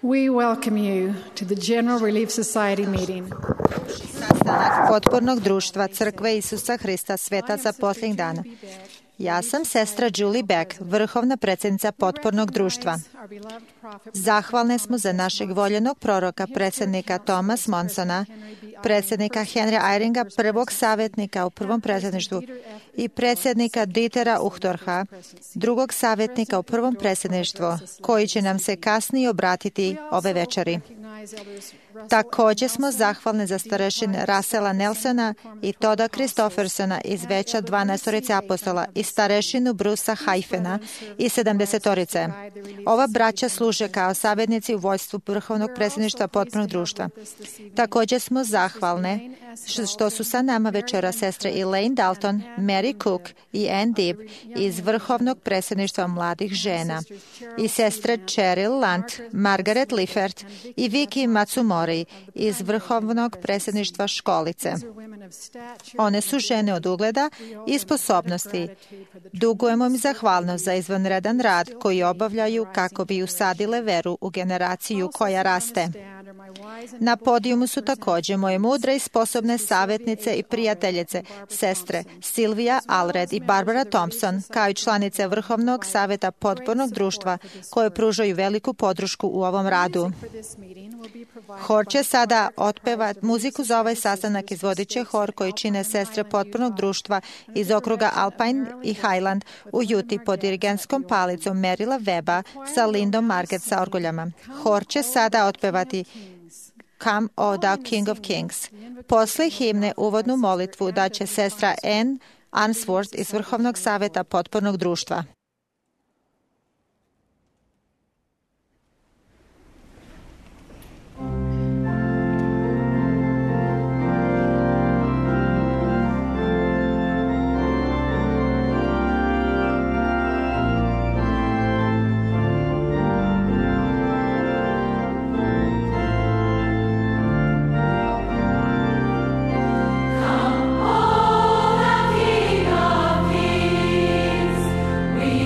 We welcome you to the General Relief Society meeting. Sastanak potpornog društva Crkve Isusa Hrista Svetaca posljednjih dana. Ja sam sestra Julie Beck, vrhovna predsjednica potpornog društva. Zahvalne smo za našeg voljenog proroka, predsjednika Thomas Monsona, predsjednika Henrya Eyringa, prvog savjetnika u prvom predsjedništvu i predsjednika Dietera Uchtdorfa, drugog savjetnika u prvom predsjedništvu, koji će nam se kasnije obratiti ove večeri. Također smo zahvalni za starešine Russella Nelsona i Toda Christoffersona iz Veća 12 apostola i starešinu Brusa Haifena i 70. Ova braća služe kao savjetnici u vojstvu vrhovnog predsjedništva potpornog društva. Također smo zahvalne što su sa nama večera sestre Elaine Dalton, Mary Cook i Ann Dibb iz vrhovnog predsjedništva mladih žena i sestre Cheryl Lunt, Margaret Liffert i Vicky Matsumori iz vrhovnog predsjedništva školice. One su žene od ugleda i sposobnosti. Dugujemo im zahvalnost za izvanredan rad koji obavljaju kako bi usadile veru u generaciju koja raste. Na podijumu su također moje mudre i sposobne savjetnice i prijateljice, sestre Silvija Allred i Barbara Thompson, kao i članice Vrhovnog savjeta potpornog društva koje pružaju veliku podršku u ovom radu. Hor će sada otpevati muziku za ovaj sastanak, izvodit će hor koji čine sestre potpornog društva iz okruga Alpine i Highland u Juti pod dirigentskom palicom Merila Weba sa Lindom Marget sa orguljama. Hor će sada otpevati Come, O thou King of Kings. Posle himne uvodnu molitvu daće sestra Ann Answorth iz Vrhovnog savjeta potpornog društva. We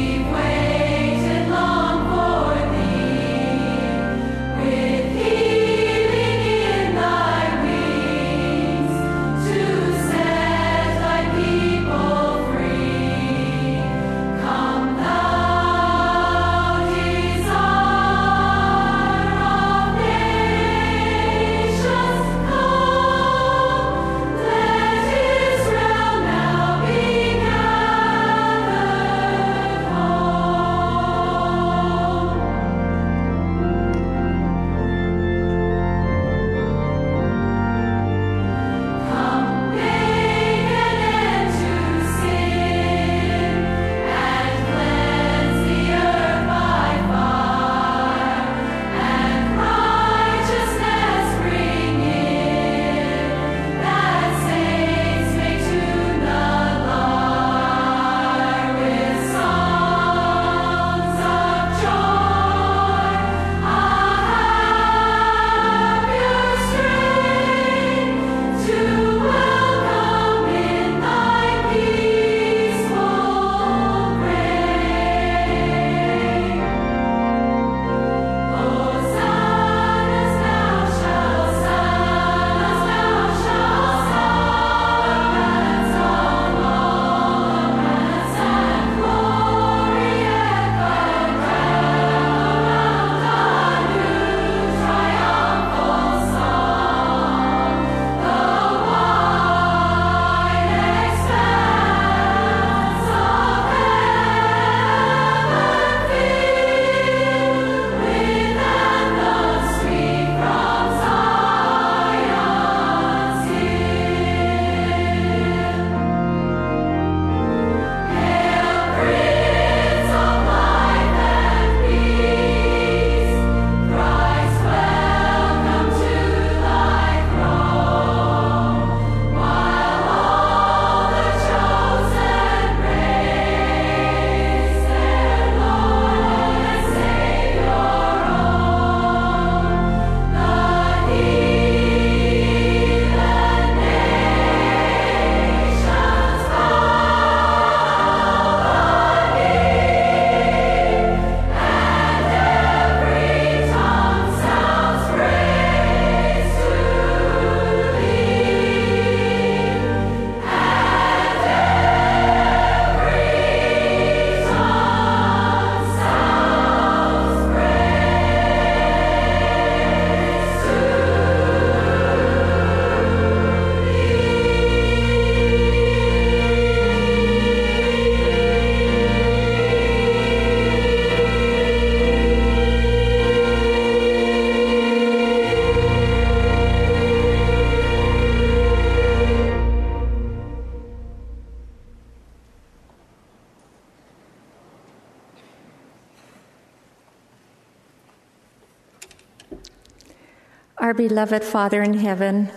Our beloved Father in heaven,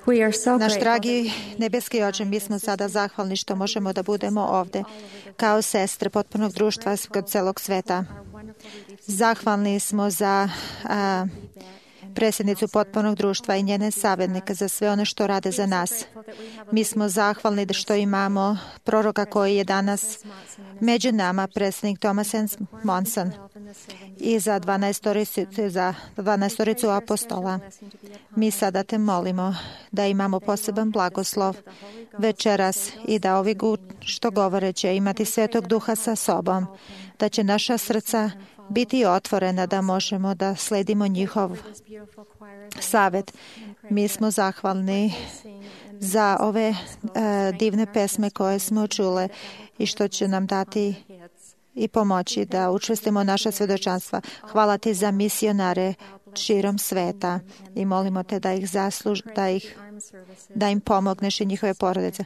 we are so Naš grateful. dragi nebeski Oče, mi smo sada zahvalni što možemo da budemo ovde kao sestre potpunog društva kod celog sveta. Zahvalni smo za predsjednicu potpunog društva i njene savjetnike za sve ono što rade za nas. Mi smo zahvalni što imamo proroka koji je danas među nama, predsjednik Thomas Monson, i za 12 apostola. Mi sada te molimo da imamo poseban blagoslov večeras i da ovi što govore će imati Svetog Duha sa sobom, da će naša srca biti otvorena da možemo da sledimo njihov savjet. Mi smo zahvalni za ove divne pesme koje smo čule i što će nam dati i pomoći da učvrstimo naša svjedočanstva. Hvala ti za misionare širom sveta i molimo te da im pomogneš i njihove porodice.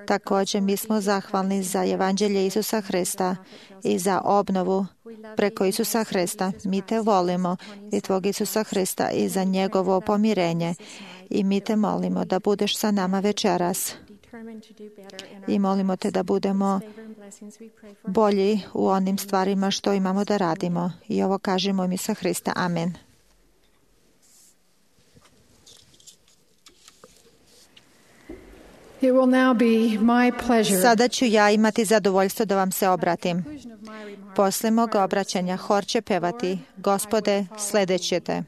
Također mi smo zahvalni za evanđelje Isusa Hrista i za obnovu preko Isusa Hrista. Mi te volimo i tvog Isusa Hrista i za njegovo pomirenje i mi te molimo da budeš sa nama večeras i molimo te da budemo bolji u onim stvarima što imamo da radimo. I ovo kažemo im Isusa Hrista. Amen. It will now be my pleasure. Sada ću ja imati zadovoljstvo da vam se obratim. Posle mog obraćanja hor će pevati Gospode, sledeće te.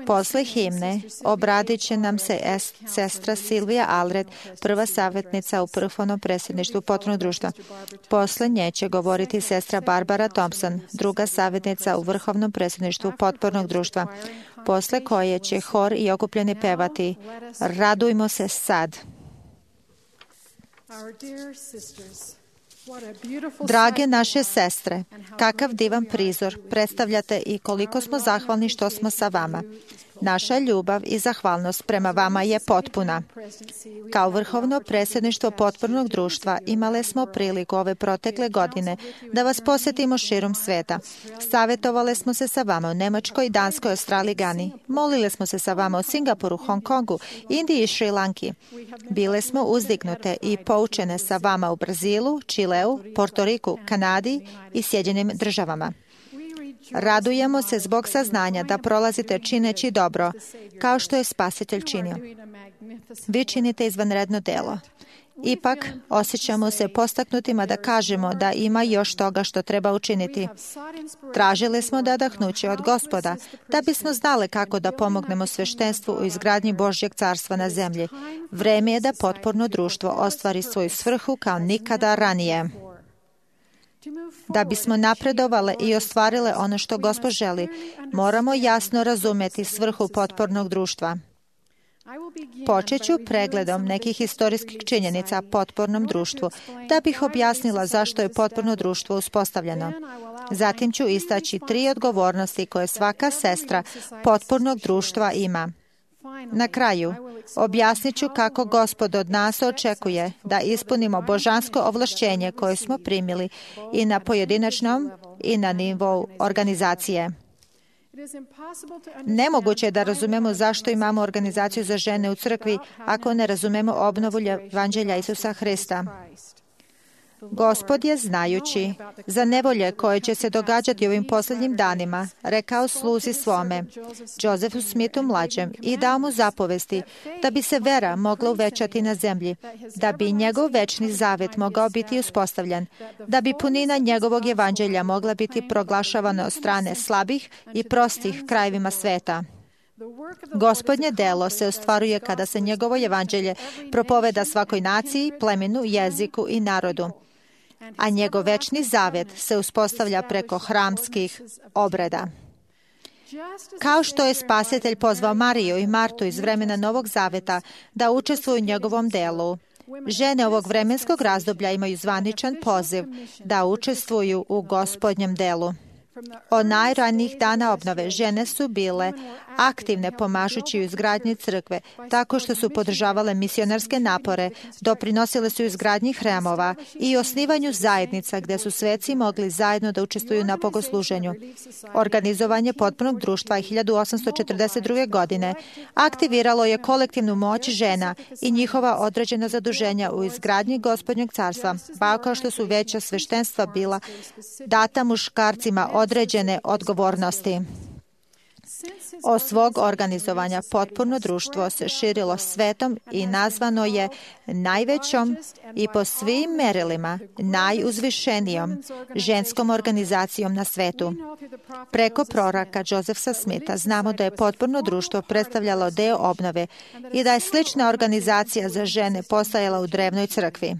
Posle himne obradit će nam se sestra Silvija Alred, prva savjetnica u vrhovnom predsjedništvu potpunog društva. Posle nje će govoriti sestra Barbara Thompson, druga savjetnica u vrhovnom predsjedništvu potpornog društva, posle koje će hor i okupljeni pevati Radujmo se sad. Drage naše sestre, kakav divan prizor predstavljate i koliko smo zahvalni što smo sa vama. Naša ljubav i zahvalnost prema vama je potpuna. Kao vrhovno predsjedništvo potpornog društva imale smo priliku ove protekle godine da vas posjetimo širom sveta. Savjetovale smo se sa vama u Nemačkoj, Danskoj, Australiji, Gani. Molile smo se sa vama u Singapuru, Hong Kongu, Indiji i Šri Lanki. Bile smo uzdignute i poučene sa vama u Brazilu, Čileu, Portoriku, Kanadi i Sjedinjenim Državama. Radujemo se zbog saznanja da prolazite čineći dobro, kao što je Spasitelj činio. Vi činite izvanredno delo. Ipak, osjećamo se postaknutima da kažemo da ima još toga što treba učiniti. Tražili smo nadahnuće od Gospoda, da bismo znali kako da pomognemo sveštenstvu u izgradnji Božjeg carstva na zemlji. Vreme je da potporno društvo ostvari svoju svrhu kao nikada ranije. Da bismo napredovale i ostvarile ono što Gospod želi, moramo jasno razumjeti svrhu potpornog društva. Počet ću pregledom nekih historijskih činjenica potpornom društvu, da bih objasnila zašto je potporno društvo uspostavljeno. Zatim ću istaći 3 odgovornosti koje svaka sestra potpornog društva ima. Na kraju, objasnit ću kako Gospod od nas očekuje da ispunimo božansko ovlašćenje koje smo primili i na pojedinačnom i na nivou organizacije. Nemoguće je da razumemo zašto imamo organizaciju za žene u crkvi ako ne razumemo obnovu evanđelja Isusa Hrista. Gospod je, znajući za nevolje koje će se događati ovim posljednjim danima, rekao sluzi svome, Josefu Smithu mlađem, i dao mu zapovesti da bi se vera mogla uvećati na zemlji, da bi njegov večni zavet mogao biti uspostavljen, da bi punina njegovog evanđelja mogla biti proglašavana od strane slabih i prostih krajevima sveta. Gospodnje delo se ostvaruje kada se njegovo evanđelje propoveda svakoj naciji, plemenu, jeziku i narodu, a njegov večni zavet se uspostavlja preko hramskih obreda. Kao što je Spasitelj pozvao Mariju i Martu iz vremena Novog Zaveta da učestvuju u njegovom delu, žene ovog vremenskog razdoblja imaju zvaničan poziv da učestvuju u Gospodnjem delu. Od najranijih dana obnove žene su bile aktivne pomažući u izgradnji crkve, tako što su podržavale misionarske napore, doprinosile su izgradnji hramova i osnivanju zajednica gdje su sveci mogli zajedno da učestvuju na bogosluženju. Organizovanje potpunog društva 1842. godine aktiviralo je kolektivnu moć žena i njihova određena zaduženja u izgradnji Gospodnjeg carstva, kao što su veća sveštenstva bila data muškarcima određene odgovornosti. Od svog organizovanja potpuno društvo se širilo svetom i nazvano je najvećom i po svim merilima najuzvišenijom ženskom organizacijom na svetu. Preko proroka Josefa Smitha znamo da je potpuno društvo predstavljalo deo obnove i da je slična organizacija za žene postojala u drevnoj crkvi.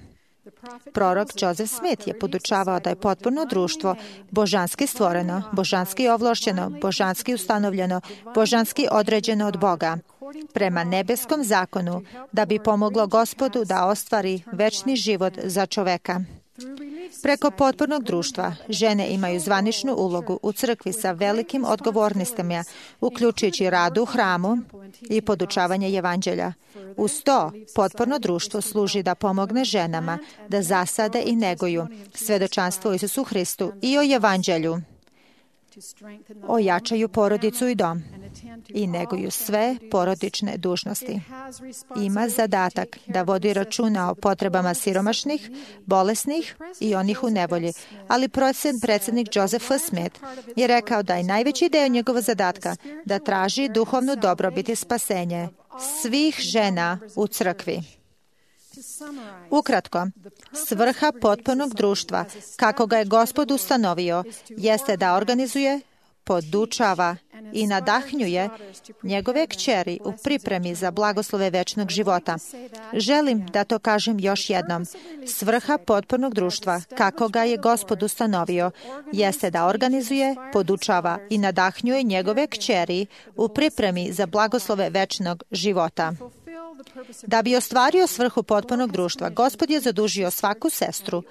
Prorok Joseph Smith je podučavao da je potpuno društvo božanski stvoreno, božanski ovlašćeno, božanski ustanovljeno, božanski određeno od Boga, prema nebeskom zakonu, da bi pomoglo Gospodu da ostvari večni život za čoveka. Preko potpornog društva žene imaju zvaničnu ulogu u crkvi sa velikim odgovornostima, uključujući rad u hramu i podučavanje evanđelja. Uz to, potporno društvo služi da pomogne ženama da zasade i neguju svedočanstvo o Isusu Hristu i o evanđelju, ojačaju porodicu i dom i neguju sve porodične dužnosti. Ima zadatak da vodi računa o potrebama siromašnih, bolesnih i onih u nevolji, ali predsjednik Joseph Smith je rekao da je najveći deo njegova zadatka da traži duhovnu dobrobit i spasenje svih žena u crkvi. Ukratko, svrha potpornog društva, kako ga je Gospod ustanovio, jeste da organizuje, podučava i nadahnjuje njegove kćeri u pripremi za blagoslove večnog života. Želim da to kažem još jednom. Svrha potpornog društva, kako ga je Gospod ustanovio, jeste da organizuje, podučava i nadahnjuje njegove kćeri u pripremi za blagoslove večnog života. Da bi ostvario svrhu potpornog društva, Gospod je zadužio svaku sestru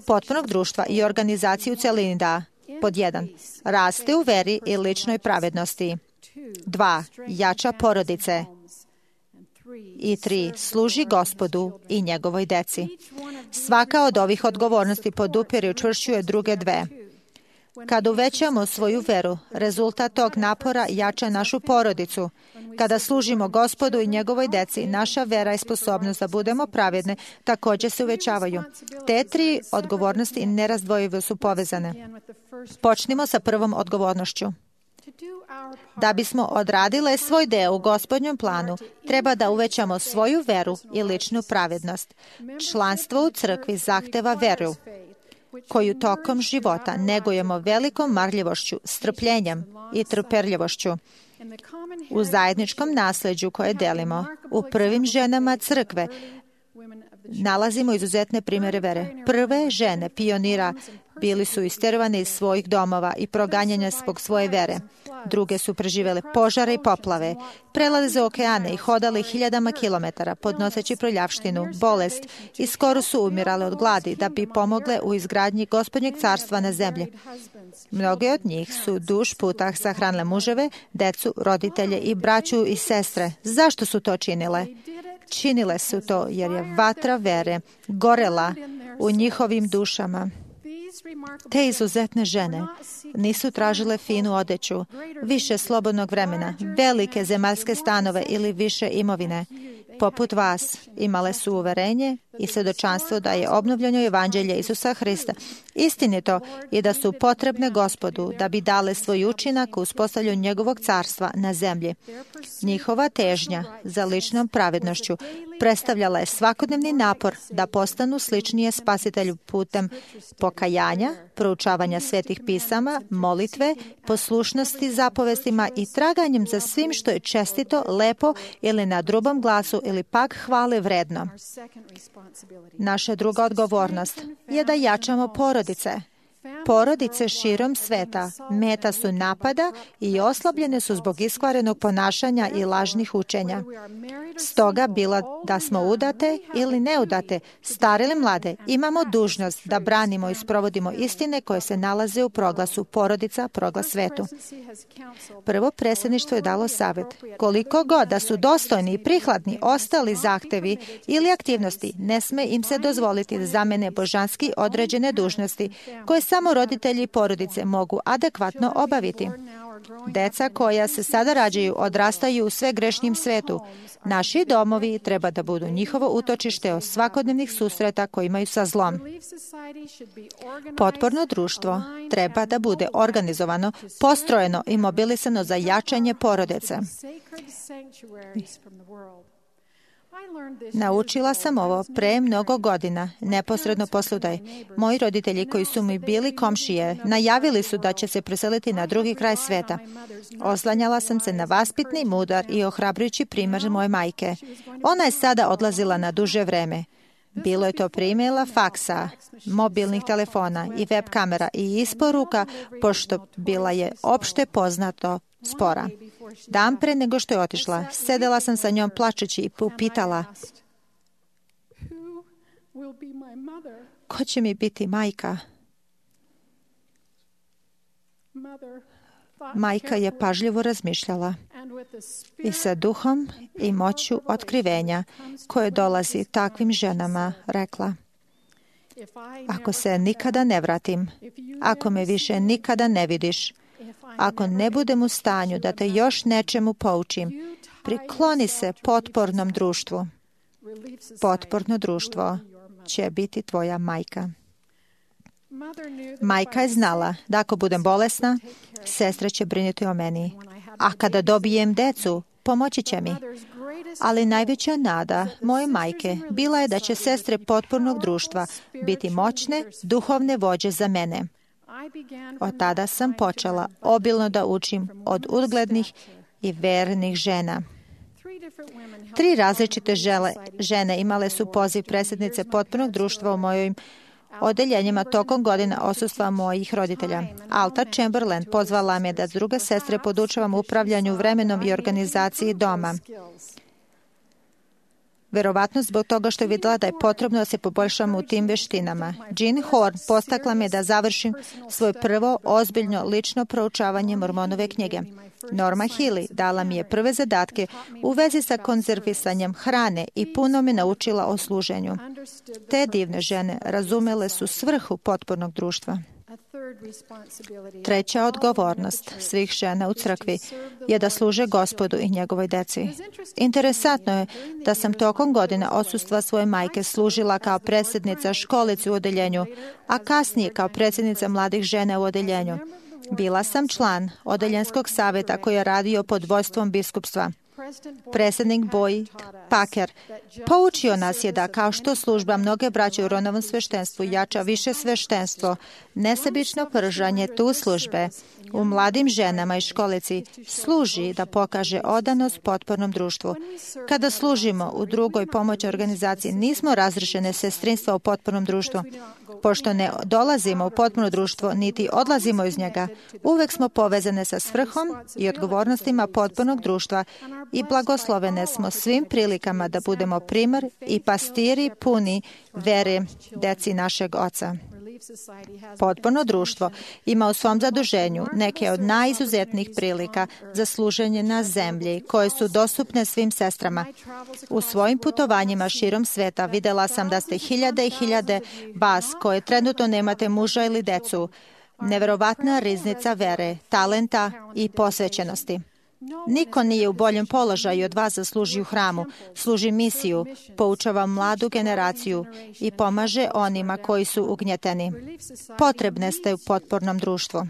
potpornog društva i organizaciju u celini da: pod 1. Raste u veri i ličnoj pravednosti. 2. Jača porodice. I 3. Služi Gospodu i njegovoj deci. Svaka od ovih odgovornosti podupire i učvršćuje druge dve. Kada uvećamo svoju veru, rezultat tog napora jača našu porodicu. Kada služimo Gospodu i njegovoj deci, naša vera i sposobnost da budemo pravedne također se uvećavaju. Te tri odgovornosti nerazdvojivo su povezane. Počnimo sa prvom odgovornošću. Da bismo odradile svoj deo u Gospodnjem planu, treba da uvećamo svoju veru i ličnu pravednost. Članstvo u crkvi zahteva veru, koju tokom života negujemo velikom marljivošću, strpljenjem i trpeljivošću. U zajedničkom nasljeđu koje delimo, u prvim ženama crkve, nalazimo izuzetne primjere vere. Prve žene pionira bili su istervane iz svojih domova i proganjane zbog svoje vere. Druge su preživjele požare i poplave, prelaze okeane i hodale hiljadama kilometara, podnoseći prljavštinu, bolest i skoro su umirale od gladi da bi pomogle u izgradnji Gospodnjeg carstva na zemlji. Mnoge od njih su duž puta sahranile muževe, decu, roditelje i braću i sestre. Zašto su to činile? Činile su to jer je vatra vere gorela u njihovim dušama. Te izuzetne žene nisu tražile finu odeću, više slobodnog vremena, velike zemaljske stanove ili više imovine. Poput vas, imale su uverenje i svjedočanstvo da je obnovljeno evanđelje Isusa Hrista istinito i da su potrebne Gospodu da bi dale svoj učinak u uspostavljanju njegovog carstva na zemlji. Njihova težnja za ličnom pravednošću predstavljala je svakodnevni napor da postanu sličnije spasitelju putem pokajanja, proučavanja svetih pisama, molitve, poslušnosti zapovestima i traganjem za svim što je čestito, lepo ili na drugom glasu ili pak hvale vredno. Naša druga odgovornost je da jačamo porodice. Porodice širom sveta meta su napada i oslabljene su zbog iskvarenog ponašanja i lažnih učenja. Stoga, bilo da smo udate ili neudate, stare ili mlade, imamo dužnost da branimo i sprovodimo istine koje se nalaze u proglasu Porodica, proglas svetu. Prvo predsjedništvo je dalo savjet. Koliko god da su dostojni i prihvatni ostali zahtevi ili aktivnosti, ne sme im se dozvoliti da zamene božanski određene dužnosti koje samo roditelji i porodice mogu adekvatno obaviti. Deca koja se sada rađaju odrastaju u sve grešnjem svetu. Naši domovi treba da budu njihovo utočište od svakodnevnih susreta koji imaju sa zlom. Potporno društvo treba da bude organizovano, postrojeno i mobilisano za jačanje porodice. Naučila sam ovo pre mnogo godina, neposredno posle udaje. Moji roditelji koji su mi bili komšije, najavili su da će se preseliti na drugi kraj sveta. Oslanjala sam se na vaspitni, mudar i ohrabrujući primjer moje majke. Ona je sada odlazila na duže vreme. Bilo je to primjela faksa, mobilnih telefona i web kamera i isporuka, pošto bila je opšte poznato spora. Dan pre nego što je otišla, sedela sam sa njom plačući i upitala: ko će mi biti majka? Majka je pažljivo razmišljala i sa duhom i moću otkrivenja koje dolazi takvim ženama rekla: ako se nikada ne vratim, ako me više nikada ne vidiš, ako ne budem u stanju da te još nečemu poučim, prikloni se potpornom društvu. Potporno društvo će biti tvoja majka. Majka je znala da ako budem bolesna, sestra će brinuti o meni. A kada dobijem decu, pomoći će mi. Ali najveća nada moje majke bila je da će sestre potpornog društva biti moćne, duhovne vođe za mene. Od tada sam počela obilno da učim od uglednih i vernih žena. 3 različite žene imale su poziv predsjednice potpornog društva u mojim odeljenjima tokom godina odsustva mojih roditelja. Alta Chamberlain pozvala me da druge sestre podučavam upravljanju vremenom i organizaciji doma. Verovatno zbog toga što je vidjela da je potrebno da se poboljšam u tim veštinama. Jean Horn postakla me da završim svoje prvo ozbiljno lično proučavanje Mormonove knjige. Norma Healy dala mi je prve zadatke u vezi sa konzervisanjem hrane i puno me naučila o služenju. Te divne žene razumele su svrhu potpornog društva. Treća odgovornost svih žena u crkvi je da služe Gospodu i njegovoj deci. Interesantno je da sam tokom godina odsustva svoje majke služila kao predsjednica školice u odeljenju, a kasnije kao predsjednica mladih žena u odeljenju. Bila sam član odeljenskog savjeta koji je radio pod vodstvom biskupstva. Predsjednik Boyd Packer poučio nas je da kao što služba mnoge braće u ronovom sveštenstvu jača više sveštenstvo, nesebično pržanje tu službe u mladim ženama i školici služi da pokaže odanost potpornom društvu. Kada služimo u drugoj pomoći organizaciji, nismo razrešene sestrinstva u potpornom društvu. Pošto ne dolazimo u potporno društvo, niti odlazimo iz njega, uvek smo povezane sa svrhom i odgovornostima potpornog društva i blagoslovene smo svim prilikama da budemo primjer i pastiri puni vere deci našeg Oca. Potporno društvo ima u svom zaduženju neke od najizuzetnijih prilika za služenje na zemlji koje su dostupne svim sestrama. U svojim putovanjima širom sveta videla sam da ste hiljade i hiljade vas koje trenutno nemate muža ili decu. Neverovatna riznica vere, talenta i posvećenosti. Niko nije u boljem položaju od vas da služi u hramu, služi misiju, poučava mladu generaciju i pomaže onima koji su ugnjeteni. Potrebne ste u potpornom društvu.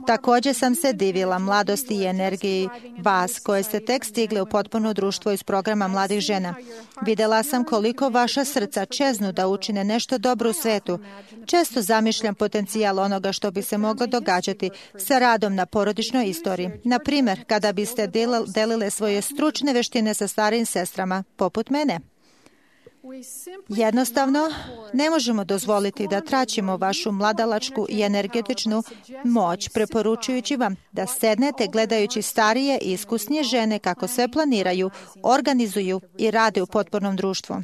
Također sam se divila mladosti i energiji vas koje ste tek stigli u potporno društvo iz programa mladih žena. Videla sam koliko vaša srca čeznu da učine nešto dobro u svetu. Često zamišljam potencijal onoga što bi se moglo događati sa radom na porodičnoj istoriji. Na primjer, kada biste delile svoje stručne veštine sa starijim sestrama, poput mene. Jednostavno, ne možemo dozvoliti da traćimo vašu mladalačku i energetičnu moć, preporučujući vam da sednete gledajući starije i iskusnije žene kako sve planiraju, organizuju i rade u potpornom društvu.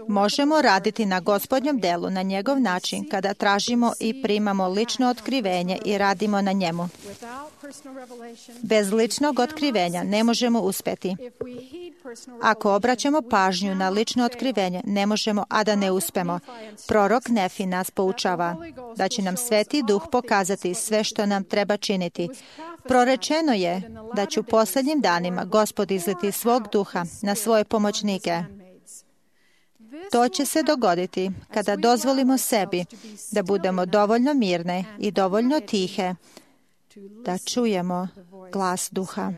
Možemo raditi na Gospodnjem delu na njegov način kada tražimo i primamo lično otkrivenje i radimo na njemu. Bez ličnog otkrivenja ne možemo uspjeti. Ako obraćamo pažnju na lično otkrivenje, ne možemo, a da ne uspemo. Prorok Nefi nas poučava da će nam Sveti Duh pokazati sve što nam treba činiti. Prorečeno je da će u posljednjim danima Gospod izliti svog duha na svoje pomoćnike. To će se dogoditi kada dozvolimo sebi da budemo dovoljno mirne i dovoljno tihe da čujemo glas duha.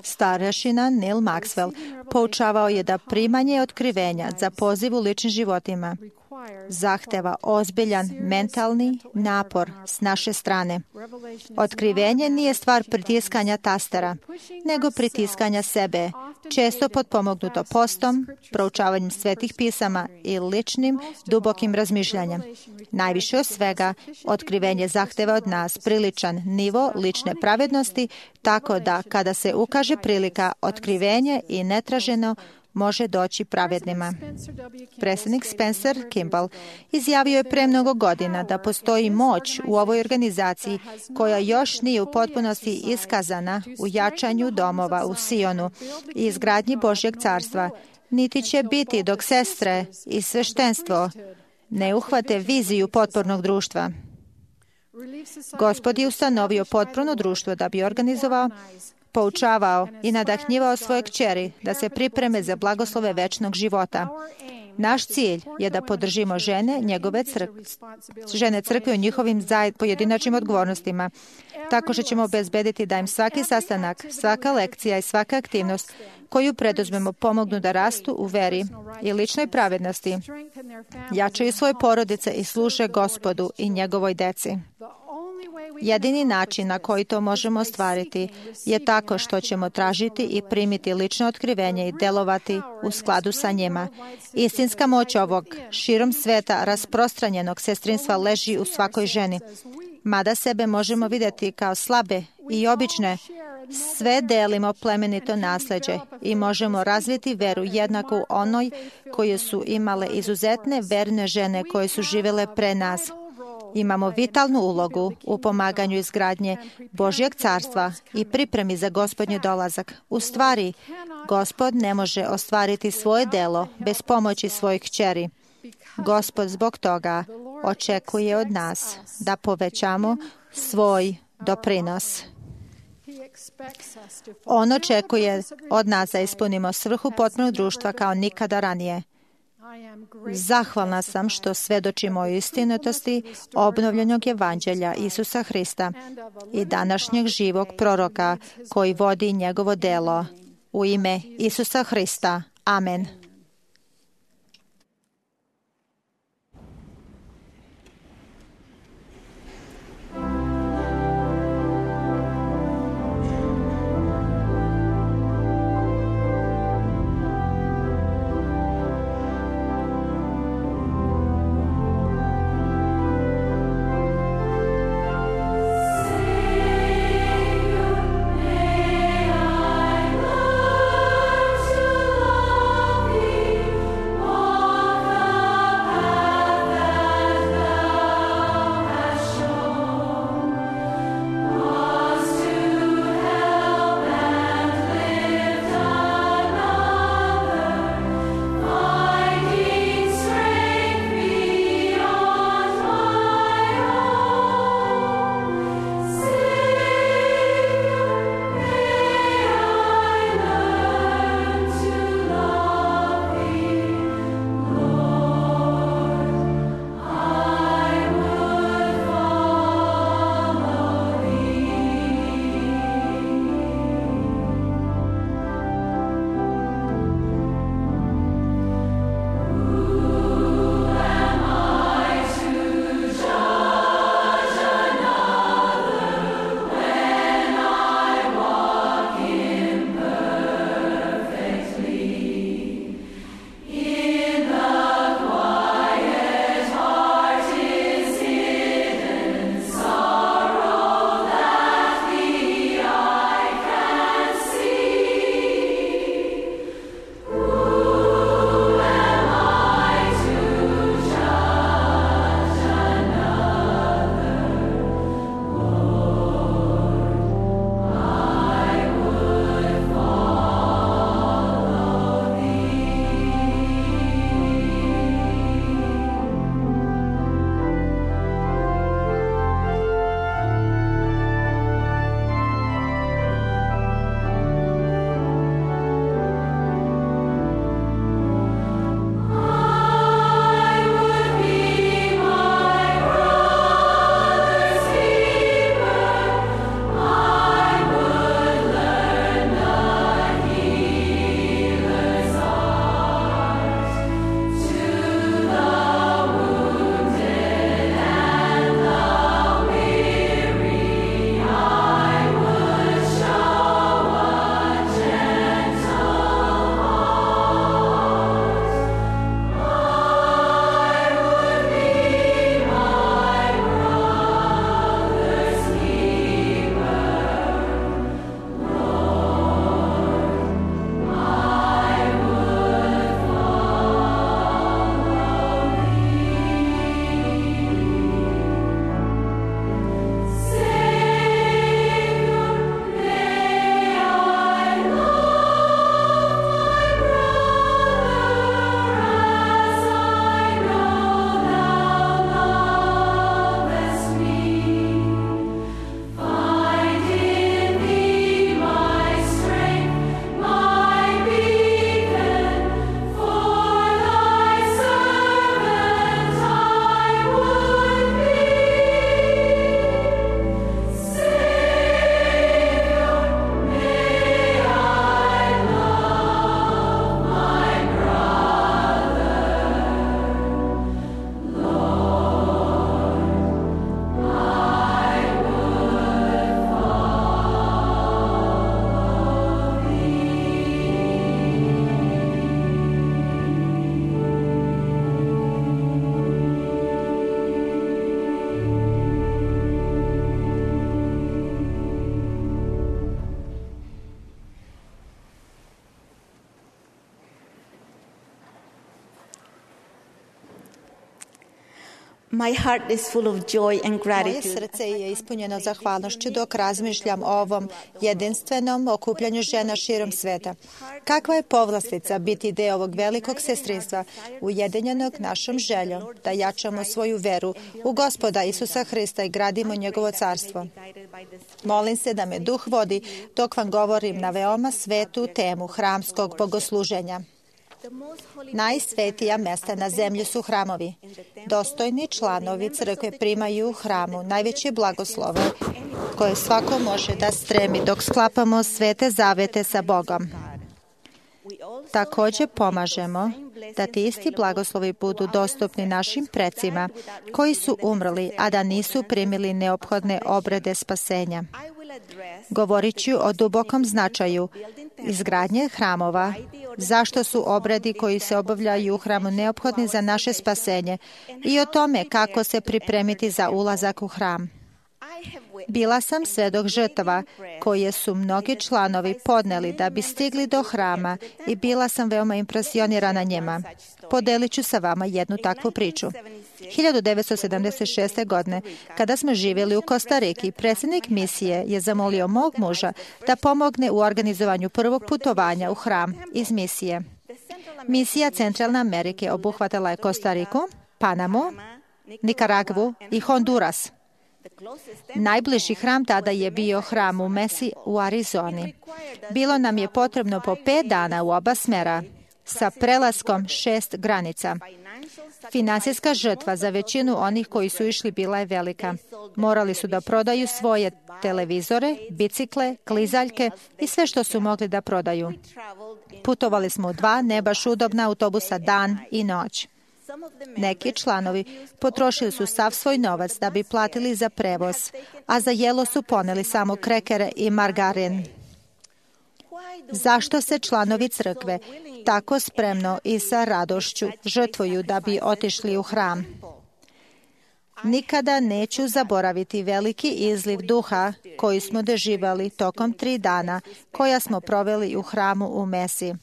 Starešina Neil Maxwell poučavao je da primanje otkrivenja za poziv u ličnim životima zahteva ozbiljan mentalni napor s naše strane. Otkrivenje nije stvar pritiskanja tastera, nego pritiskanja sebe, često potpomognuto postom, proučavanjem svetih pisama i ličnim, dubokim razmišljanjem. Najviše od svega, otkrivenje zahteva od nas priličan nivo lične pravednosti, tako da kada se ukaže prilika, otkrivenje i netraženo može doći pravednima. Predsjednik Spencer Kimball izjavio je pre mnogo godina da postoji moć u ovoj organizaciji koja još nije u potpunosti iskazana u jačanju domova u Sionu i izgradnji Božjeg carstva, niti će biti dok sestre i sveštenstvo ne uhvate viziju potpornog društva. Gospod je ustanovio potporno društvo da bi organizovao, poučavao i nadahnjivao svoje kćeri da se pripreme za blagoslove večnog života. Naš cilj je da podržimo žene crkve u njihovim pojedinačnim odgovornostima, tako što ćemo obezbediti da im svaki sastanak, svaka lekcija i svaka aktivnost koju preduzmemo pomognu da rastu u veri i ličnoj pravednosti, jačaju svoje porodice i služe Gospodu i njegovoj deci. Jedini način na koji to možemo ostvariti je tako što ćemo tražiti i primiti lično otkrivenje i delovati u skladu sa njima. Istinska moć ovog širom sveta rasprostranjenog sestrinstva leži u svakoj ženi. Mada sebe možemo vidjeti kao slabe i obične, sve delimo plemenito nasljeđe i možemo razviti veru jednaku onoj koje su imale izuzetne verne žene koje su živjele pre nas. Imamo vitalnu ulogu u pomaganju izgradnje Božjeg carstva i pripremi za Gospodnji dolazak. U stvari, Gospod ne može ostvariti svoje delo bez pomoći svojih kćeri. Gospod zbog toga očekuje od nas da povećamo svoj doprinos. On očekuje od nas da ispunimo svrhu potpornog društva kao nikada ranije. Zahvalna sam što svedočimo o istinitosti obnovljenog evanđelja Isusa Hrista i današnjeg živog proroka koji vodi njegovo delo. U ime Isusa Hrista. Amen. May I learn to love you. My heart is full of joy and Moje gratitude. srce je ispunjeno zahvalnošću dok razmišljam o ovom jedinstvenom okupljanju žena širom sveta. Kakva je povlastica biti deo ovog velikog sestrinstva, ujedinjenog našom željom da jačamo svoju veru u Gospoda Isusa Hrista i gradimo njegovo carstvo. Molim se da me Duh vodi dok vam govorim na veoma svetu temu hramskog bogosluženja. Najsvetija mesta na zemlji su hramovi. Dostojni članovi crkve primaju u hramu najveće blagoslove koje svako može da stremi dok sklapamo svete zavete sa Bogom. Također pomažemo da ti isti blagoslovi budu dostupni našim precima koji su umrli, a da nisu primili neophodne obrede spasenja. Govorit ću o dubokom značaju izgradnje hramova, zašto su obredi koji se obavljaju u hramu neophodni za naše spasenje i o tome kako se pripremiti za ulazak u hram. Bila sam svedok žrtava koje su mnogi članovi podneli da bi stigli do hrama i bila sam veoma impresionirana njima. Podelit ću sa vama jednu takvu priču. 1976. godine, kada smo živjeli u Kostariki, predsjednik misije je zamolio mog muža da pomogne u organizovanju prvog putovanja u hram iz misije. Misija Centralne Amerike obuhvatala je Kostariku, Panamu, Nikaragvu i Honduras. Najbliži hram tada je bio hram u Mesi u Arizoni. Bilo nam je potrebno po 5 dana u oba smera sa prelaskom 6 granica. Finansijska žrtva za većinu onih koji su išli bila je velika. Morali su da prodaju svoje televizore, bicikle, klizaljke i sve što su mogli da prodaju. Putovali smo u 2 ne baš udobna autobusa dan i noć. Neki članovi potrošili su sav svoj novac da bi platili za prevoz, a za jelo su poneli samo krekere i margarin. Zašto se članovi crkve tako spremno i sa radošću žrtvuju da bi otišli u hram? Nikada neću zaboraviti veliki izliv duha koji smo doživjeli tokom 3 dana koja smo proveli u hramu u Mesi.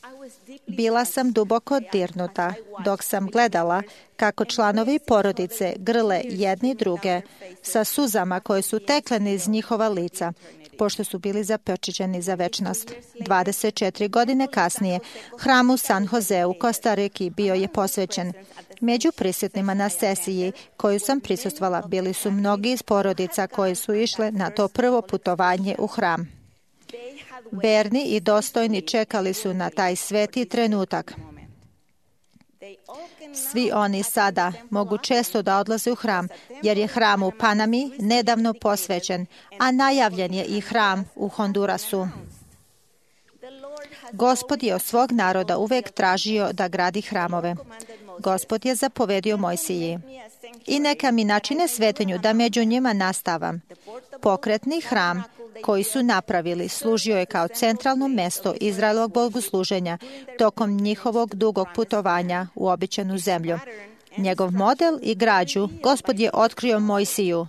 Bila sam duboko dirnuta dok sam gledala kako članovi porodice grle jedni druge sa suzama koje su tekle iz njihova lica, pošto su bili zapečećeni za večnost. 24 godine kasnije, hram u San Jose u Kostariki bio je posvećen. Među prisutnima na sesiji koju sam prisustvala bili su mnogi iz porodica koji su išle na to prvo putovanje u hram. Verni i dostojni čekali su na taj sveti trenutak. Svi oni sada mogu često da odlaze u hram, jer je hram u Panami nedavno posvećen, a najavljen je i hram u Hondurasu. Gospod je od svog naroda uvek tražio da gradi hramove. Gospod je zapovedio Mojsiji: i neka mi načine svetinju da među njima nastavam. Pokretni hram koji su napravili služio je kao centralno mesto Izraelovog bogosluženja tokom njihovog dugog putovanja u obećanu zemlju. Njegov model i građu Gospod je otkrio Mojsiju.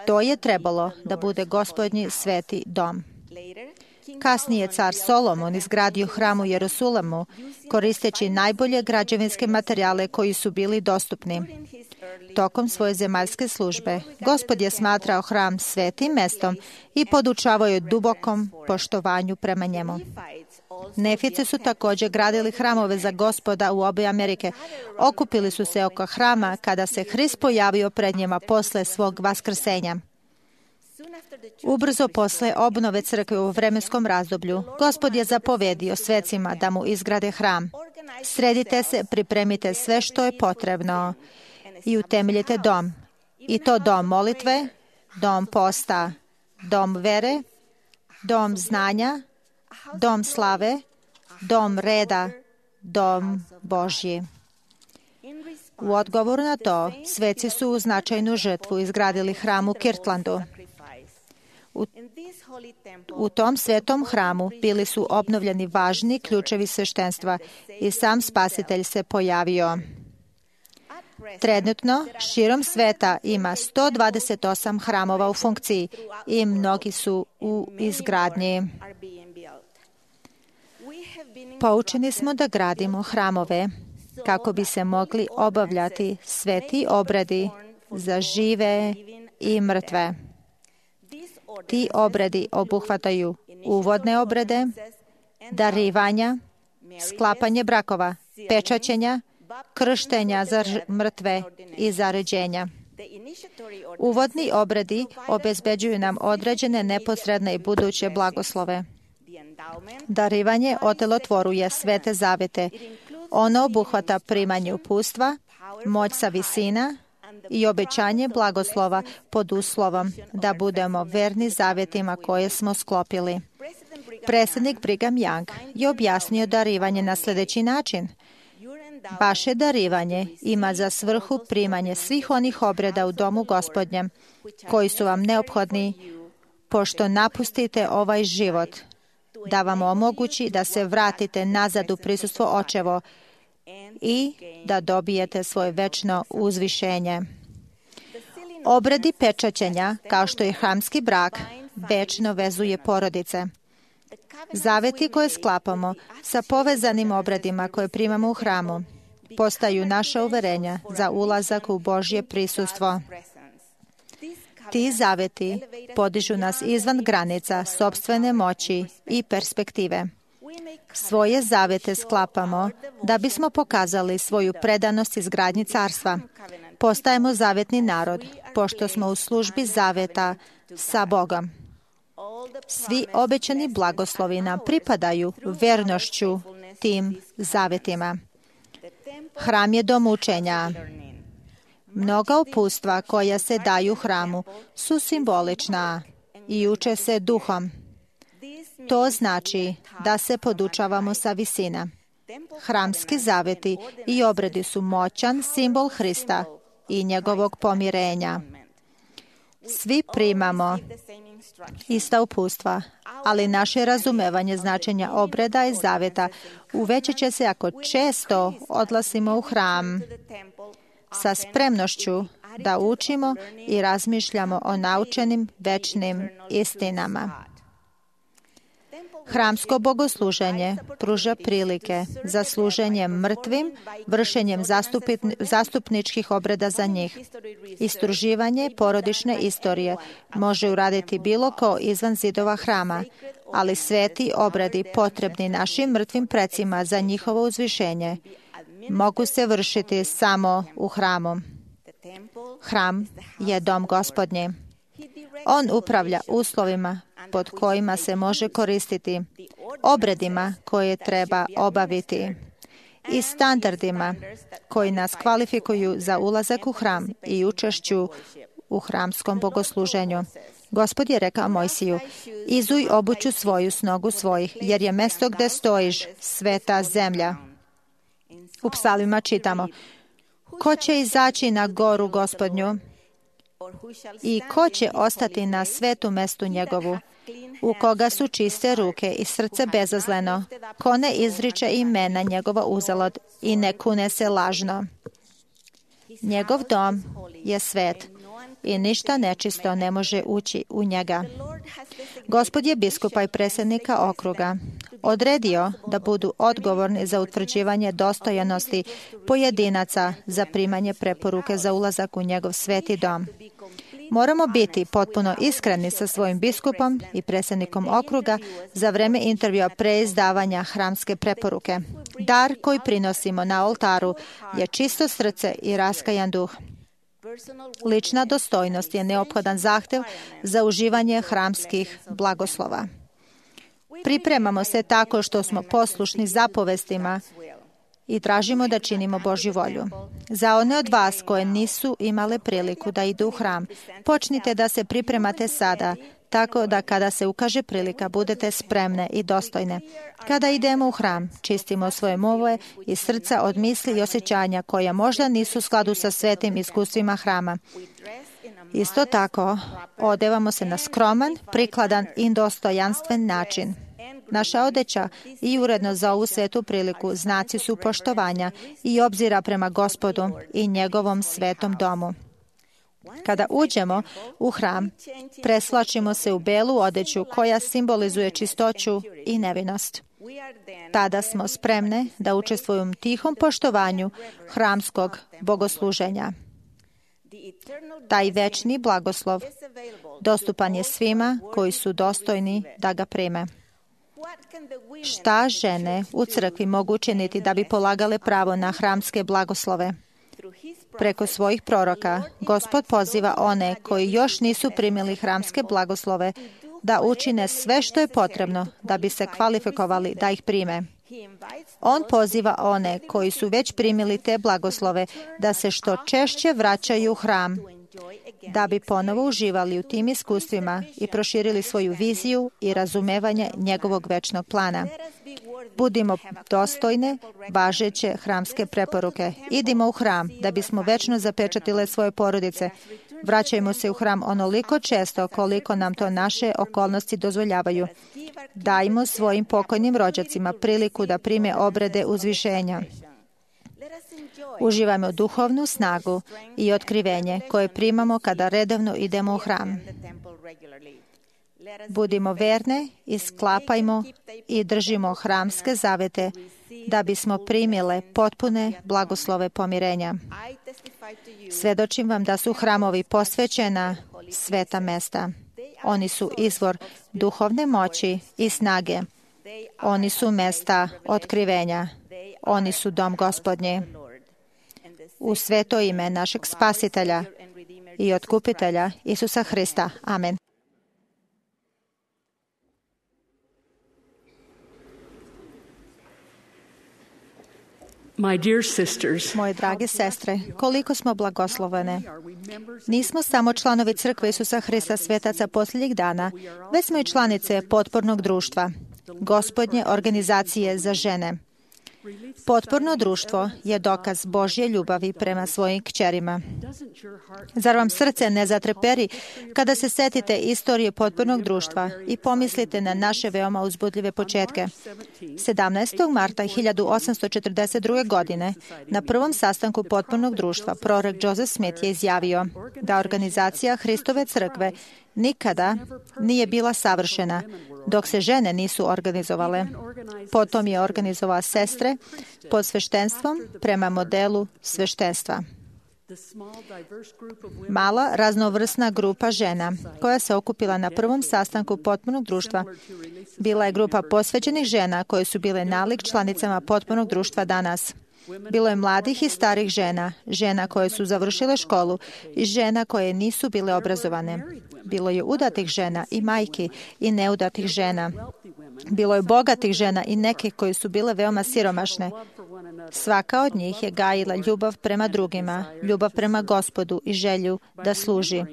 To je trebalo da bude Gospodnji sveti dom. Kasnije car Solomon izgradio hram u Jerusalimu, koristeći najbolje građevinske materijale koji su bili dostupni. Tokom svoje zemaljske službe, Gospod je smatrao hram svetim mestom i podučavao je dubokom poštovanju prema njemu. Nefici su također gradili hramove za Gospoda u obe Amerike. Okupili su se oko hrama kada se Hrist pojavio pred njima posle svog vaskrsenja. Ubrzo posle obnove crkve u vremenskom razdoblju, Gospod je zapovedio svecima da mu izgrade hram. Sredite se, pripremite sve što je potrebno i utemeljite dom. I to dom molitve, dom posta, dom vere, dom znanja, dom slave, dom reda, dom Božji. U odgovoru na to, sveci su u značajnu žrtvu izgradili hram u Kirtlandu. U tom svetom hramu bili su obnovljeni važni ključevi sveštenstva i sam Spasitelj se pojavio. Trenutno, širom sveta ima 128 hramova u funkciji i mnogi su u izgradnji. Poučeni smo da gradimo hramove kako bi se mogli obavljati sveti obredi za žive i mrtve. Ti obredi obuhvataju uvodne obrede, darivanja, sklapanje brakova, pečaćenja, krštenja za mrtve i zaređenja. Uvodni obredi obezbeđuju nam određene neposredne i buduće blagoslove. Darivanje otelotvoruje svete zavete. Ono obuhvata primanje upustva, moć sa visina i obećanje blagoslova pod uslovom da budemo verni zavetima koje smo sklopili. Predsjednik Brigham Young je objasnio darivanje na sljedeći način. Vaše darivanje ima za svrhu primanje svih onih obreda u domu Gospodnjem koji su vam neophodni pošto napustite ovaj život, da vam omogući da se vratite nazad u prisustvo Očevo i da dobijete svoje večno uzvišenje. Obredi pečaćenja, kao što je hramski brak, večno vezuje porodice. Zaveti koje sklapamo sa povezanim obredima koje primamo u hramu postaju naša uverenja za ulazak u Božje prisustvo. Ti zaveti podižu nas izvan granica sopstvene moći i perspektive. Svoje zavete sklapamo da bismo pokazali svoju predanost izgradnji carstva. Postajemo zavetni narod, pošto smo u službi zaveta sa Bogom. Svi obećani blagoslovi nam pripadaju vernošću tim zavetima. Hram je dom učenja. Mnoga upustva koja se daju hramu su simbolična i uče se duhom. To znači da se podučavamo sa visina. Hramski zaveti i obredi su moćan simbol Hrista i njegovog pomirenja. Svi primamo ista upustva, ali naše razumevanje značenja obreda i zaveta uvećat će se ako često odlazimo u hram sa spremnošću da učimo i razmišljamo o naučenim večnim istinama. Hramsko bogosluženje pruža prilike za služenje mrtvim, vršenjem zastupničkih obreda za njih. Istraživanje porodične istorije može uraditi bilo ko izvan zidova hrama, ali sveti obredi potrebni našim mrtvim precima za njihovo uzvišenje mogu se vršiti samo u hramu. Hram je dom Gospodnji. On upravlja uslovima pod kojima se može koristiti, obredima koje treba obaviti i standardima koji nas kvalifikuju za ulazak u hram i učešću u hramskom bogosluženju. Gospod je rekao Mojsiju, izuj obuću svoju s nogu svojih, jer je mesto gde stojiš sveta zemlja. U psalmima čitamo, ko će izaći na goru Gospodnju i ko će ostati na svetu mestu njegovu, u koga su čiste ruke i srce bezazleno, ko ne izriče imena njegova uzalud i ne kune se lažno. Njegov dom je svet i ništa nečisto ne može ući u njega. Gospod je biskupa i predsjednika okruga odredio da budu odgovorni za utvrđivanje dostojanosti pojedinaca za primanje preporuke za ulazak u njegov sveti dom. Moramo biti potpuno iskreni sa svojim biskupom i predsjednikom okruga za vreme intervjua pre izdavanja hramske preporuke. Dar koji prinosimo na oltaru je čisto srce i raskajan duh. Lična dostojnost je neophodan zahtev za uživanje hramskih blagoslova. Pripremamo se tako što smo poslušni zapovestima i tražimo da činimo Božju volju. Za one od vas koje nisu imale priliku da idu u hram, počnite da se pripremate sada, tako da kada se ukaže prilika budete spremne i dostojne. Kada idemo u hram, čistimo svoje umove i srca od misli i osjećanja koja možda nisu u skladu sa svetim iskustvima hrama. Isto tako, odevamo se na skroman, prikladan i dostojanstven način. Naša odeća i uredno za ovu svetu priliku znaci su poštovanja i obzira prema Gospodu i njegovom svetom domu. Kada uđemo u hram, preslačimo se u belu odeću koja simbolizuje čistoću i nevinost. Tada smo spremne da učestvujemo u tihom poštovanju hramskog bogosluženja. Taj večni blagoslov dostupan je svima koji su dostojni da ga prime. Šta žene u crkvi mogu učiniti da bi polagale pravo na hramske blagoslove? Preko svojih proroka, Gospod poziva one koji još nisu primili hramske blagoslove da učine sve što je potrebno da bi se kvalifikovali da ih prime. On poziva one koji su već primili te blagoslove da se što češće vraćaju u hram, da bi ponovo uživali u tim iskustvima i proširili svoju viziju i razumevanje njegovog večnog plana. Budimo dostojne, važeće hramske preporuke. Idimo u hram da bismo večno zapečatile svoje porodice. Vraćajmo se u hram onoliko često koliko nam to naše okolnosti dozvoljavaju. Dajmo svojim pokojnim rođacima priliku da prime obrede uzvišenja. Uživajmo duhovnu snagu i otkrivenje koje primamo kada redovno idemo u hram. Budimo verne i sklapajmo i držimo hramske zavete da bismo primile potpune blagoslove pomirenja. Svedočim vam da su hramovi posvećena sveta mesta. Oni su izvor duhovne moći i snage. Oni su mesta otkrivenja. Oni su dom Gospodnji. U sveto ime našeg Spasitelja i Otkupitelja Isusa Hrista. Amen. Moje drage sestre, koliko smo blagoslovene. Nismo samo članovi Crkve Isusa Hrista svetaca posljednjih dana, već smo i članice potpornog društva, Gospodnje organizacije za žene. Potporno društvo je dokaz Božje ljubavi prema svojim kćerima. Zar vam srce ne zatreperi kada se setite istorije potpornog društva i pomislite na naše veoma uzbudljive početke? 17. marta 1842. godine na prvom sastanku potpornog društva prorok Joseph Smith je izjavio da organizacija Hristove crkve nikada nije bila savršena dok se žene nisu organizovale. Potom je organizovao sestre pod sveštenstvom prema modelu sveštenstva. Mala raznovrsna grupa žena koja se okupila na prvom sastanku potpornog društva bila je grupa posvećenih žena koje su bile nalik članicama potpornog društva danas. Bilo je mladih i starih žena, žena koje su završile školu i žena koje nisu bile obrazovane. Bilo je udatih žena i majki i neudatih žena. Bilo je bogatih žena i neke koje su bile veoma siromašne. Svaka od njih je gajila ljubav prema drugima, ljubav prema Gospodu i želju da služi.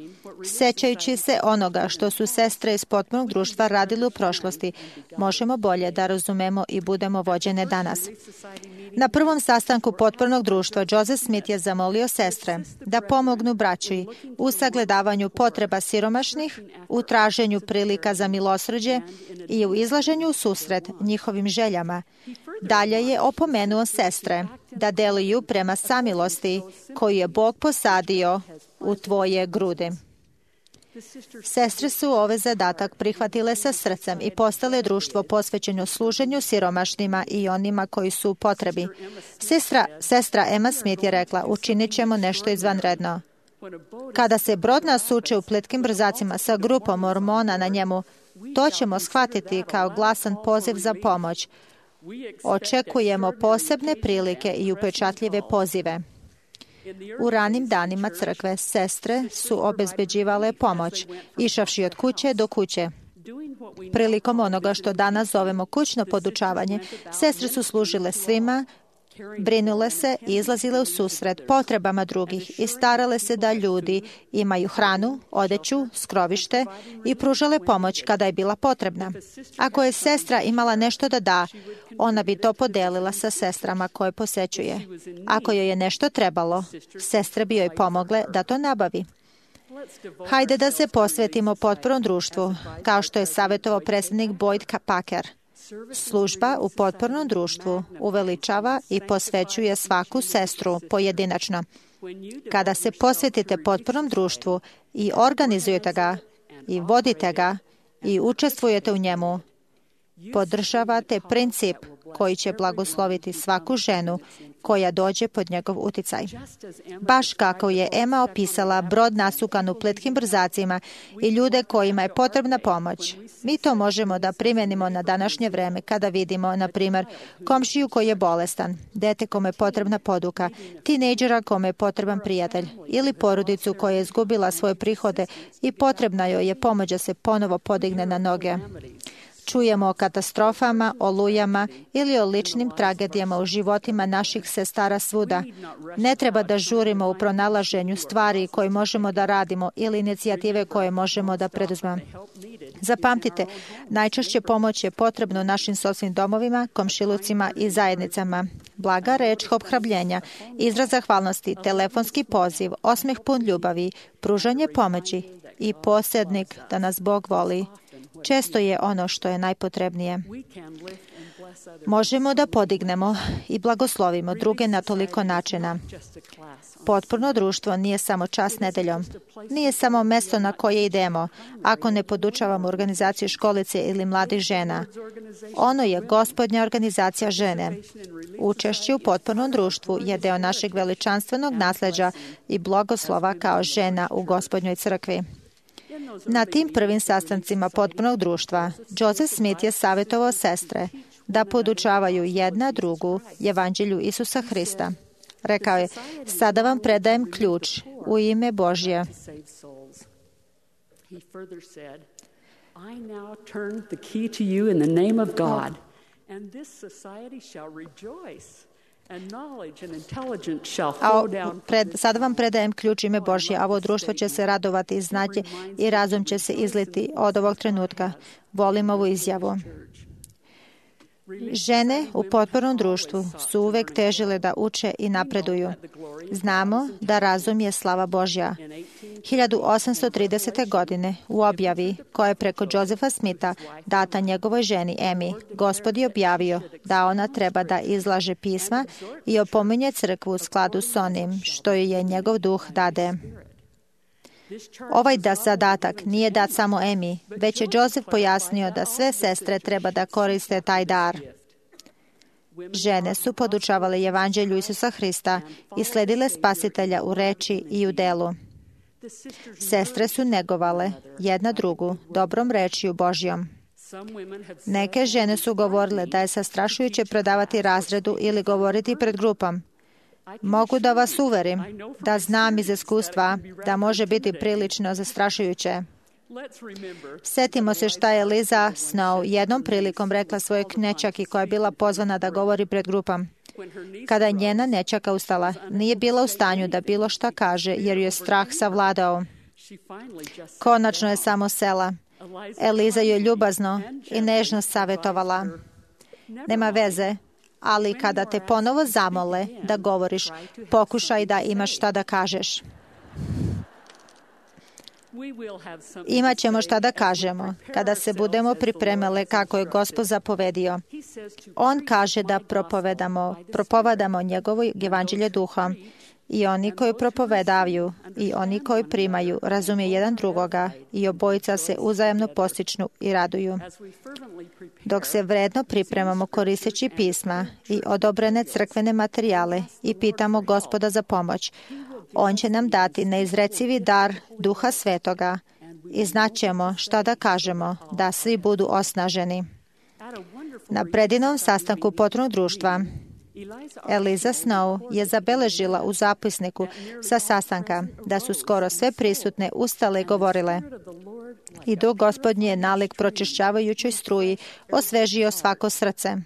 Sećajući se onoga što su sestre iz potpornog društva radile u prošlosti, možemo bolje da razumemo i budemo vođene danas. Na prvom sastanku potpornog društva Joseph Smith je zamolio sestre da pomognu braći u sagledavanju potreba siromašnih, u traženju prilika za milosrđe i u izlaženju u susret njihovim željama. Dalje je opomenuo sestre da deluju prema samilosti koju je Bog posadio u tvoje grudi. Sestre su ovaj zadatak prihvatile sa srcem i postale društvo posvećeno služenju siromašnima i onima koji su u potrebi. Sestra Emma Smith je rekla, učinit ćemo nešto izvanredno. Kada se brod nasuče u plitkim brzacima sa grupom mormona na njemu, to ćemo shvatiti kao glasan poziv za pomoć. Očekujemo posebne prilike i upečatljive pozive. U ranim danima crkve sestre su obezbeđivale pomoć, išavši od kuće do kuće. Prilikom onoga što danas zovemo kućno podučavanje, sestre su služile svima, brinule se i izlazile u susret potrebama drugih i starale se da ljudi imaju hranu, odeću, skrovište i pružale pomoć kada je bila potrebna. Ako je sestra imala nešto da da, ona bi to podelila sa sestrama koje posećuje. Ako joj je nešto trebalo, sestre bi joj pomogle da to nabavi. Hajde da se posvetimo potpornom društvu, kao što je savjetovao predsjednik Boyd Packer. Služba u potpornom društvu uveličava i posvećuje svaku sestru pojedinačno. Kada se posvetite potpornom društvu i organizujete ga i vodite ga i učestvujete u njemu, podržavate princip koji će blagosloviti svaku ženu koja dođe pod njegov uticaj. Baš kako je Ema opisala brod nasukan u plitkim brzacima i ljude kojima je potrebna pomoć. Mi to možemo da primjenimo na današnje vreme kada vidimo, na primjer, komšiju koji je bolestan, dete kome je potrebna poduka, tinejdžera kome je potreban prijatelj ili porodicu koja je izgubila svoje prihode i potrebna joj je pomoć da se ponovo podigne na noge. Čujemo o katastrofama, olujama ili o ličnim tragedijama u životima naših sestara svuda. Ne treba da žurimo u pronalaženju stvari koje možemo da radimo ili inicijative koje možemo da preduzmemo. Zapamtite, najčešće pomoć je potrebna u našim sopstvenim domovima, komšilucima i zajednicama. Blaga reč ohrabrenja, izraz zahvalnosti, telefonski poziv, osmeh pun ljubavi, pružanje pomoći i posrednik da nas Bog voli često je ono što je najpotrebnije. Možemo da podignemo i blagoslovimo druge na toliko načina. Potporno društvo nije samo čas nedeljom. Nije samo mesto na koje idemo, ako ne podučavamo organizaciju školice ili mladih žena. Ono je Gospodnja organizacija žene. Učešće u potpornom društvu je deo našeg veličanstvenog nasleđa i blagoslova kao žena u Gospodnjoj crkvi. Na tim prvim sastancima potpornog društva, Joseph Smith je savjetovao sestre da podučavaju jedna drugu evanđelju Isusa Hrista. Rekao je, sada vam predajem ključ u ime Božje. Sada vam predajem ključ ime Božje, a ovo društvo će se radovati i znati i razum će se izliti od ovog trenutka. Volim ovu izjavu. Žene u potpornom društvu su uvek težile da uče i napreduju. Znamo da razum je slava Božja. 1830. godine u objavi koja je preko Josepha Smitha data njegovoj ženi Emi, Gospod je objavio da ona treba da izlaže pisma i opominje crkvu u skladu s onim što je njegov duh dade. Ovaj zadatak nije dat samo Emi, već je Joseph pojasnio da sve sestre treba da koriste taj dar. Žene su podučavale evanđelju Isusa Hrista i sledile Spasitelja u reči i u delu. Sestre su negovale jedna drugu dobrom rečju Božjom. Neke žene su govorile da je zastrašujuće predavati razredu ili govoriti pred grupom. Mogu da vas uverim da znam iz iskustva da može biti prilično zastrašujuće. Sjetimo se šta je Liza Snow jednom prilikom rekla svojoj knećaki koja je bila pozvana da govori pred grupom. Kada je njena nećaka ustala, nije bila u stanju da bilo šta kaže jer ju je strah savladao. Konačno je samo sela. Eliza ju je ljubazno i nežno savjetovala. Nema veze, ali kada te ponovo zamole da govoriš, pokušaj da imaš šta da kažeš. Imaćemo šta da kažemo kada se budemo pripremile kako je Gospod zapovedio. On kaže da propovedamo njegovo evanđelje duhom i oni koji propovedavaju i oni koji primaju razumiju jedan drugoga i obojica se uzajamno postičnu i raduju. Dok se vredno pripremamo koristeći pisma i odobrene crkvene materijale i pitamo Gospoda za pomoć, On će nam dati neizrecivi dar Duha Svetoga i znaćemo šta da kažemo, da svi budu osnaženi. Na predinom sastanku potpornog društva Eliza Snow je zabeležila u zapisniku sa sastanka da su skoro sve prisutne ustale i govorile. I Duh Gospodnji je nalik pročišćavajućoj struji osvežio svako srce.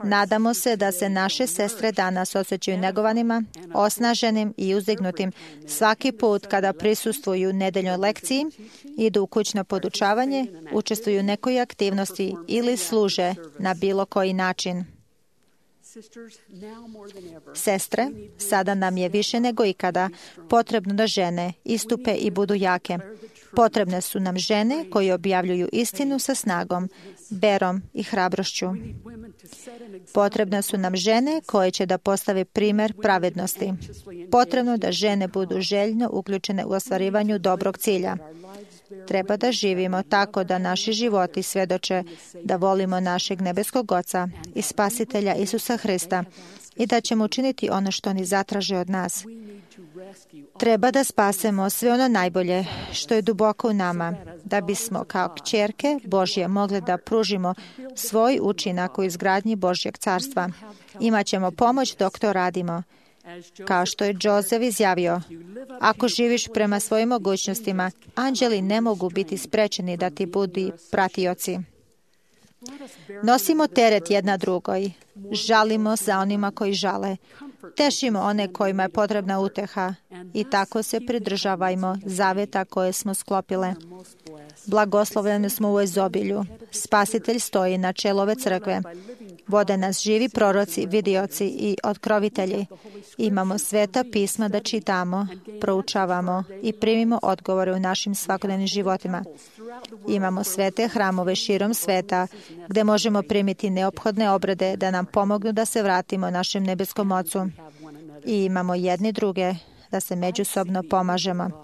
Nadamo se da se naše sestre danas osjećaju negovanima, osnaženim i uzdignutim svaki put kada prisustvuju nedeljnoj lekciji, idu u kućno podučavanje, učestvuju u nekoj aktivnosti ili služe na bilo koji način. Sestre, sada nam je više nego ikada potrebno da žene istupe i budu jake. Potrebne su nam žene koje objavljuju istinu sa snagom, berom i hrabrošću. Potrebne su nam žene koje će da postave primjer pravednosti. Potrebno da žene budu željno uključene u ostvarivanju dobrog cilja. Treba da živimo tako da naši životi svjedoče da volimo našeg nebeskog Oca i Spasitelja Isusa Hrista i da ćemo učiniti ono što oni zatraže od nas. Treba da spasemo sve ono najbolje što je duboko u nama, da bismo kao kćerke Božje mogli da pružimo svoj učinak u izgradnji Božjeg carstva. Imaćemo pomoć dok to radimo. Kao što je Jozef izjavio, ako živiš prema svojim mogućnostima, anđeli ne mogu biti sprečeni da ti budu pratioci. Nosimo teret jedna drugoj, žalimo za onima koji žale, tešimo one kojima je potrebna uteha i tako se pridržavajmo zaveta koje smo sklopile. Blagoslovljeni smo u izobilju. Spasitelj stoji na čelu ove crkve. Vode nas živi proroci, vidioci i otkrovitelji. Imamo sveta pisma da čitamo, proučavamo i primimo odgovore u našim svakodnevnim životima. Imamo svete hramove širom sveta gdje možemo primiti neophodne obrede da nam pomognu da se vratimo našem nebeskom Ocu. I imamo jedni druge da se međusobno pomažemo.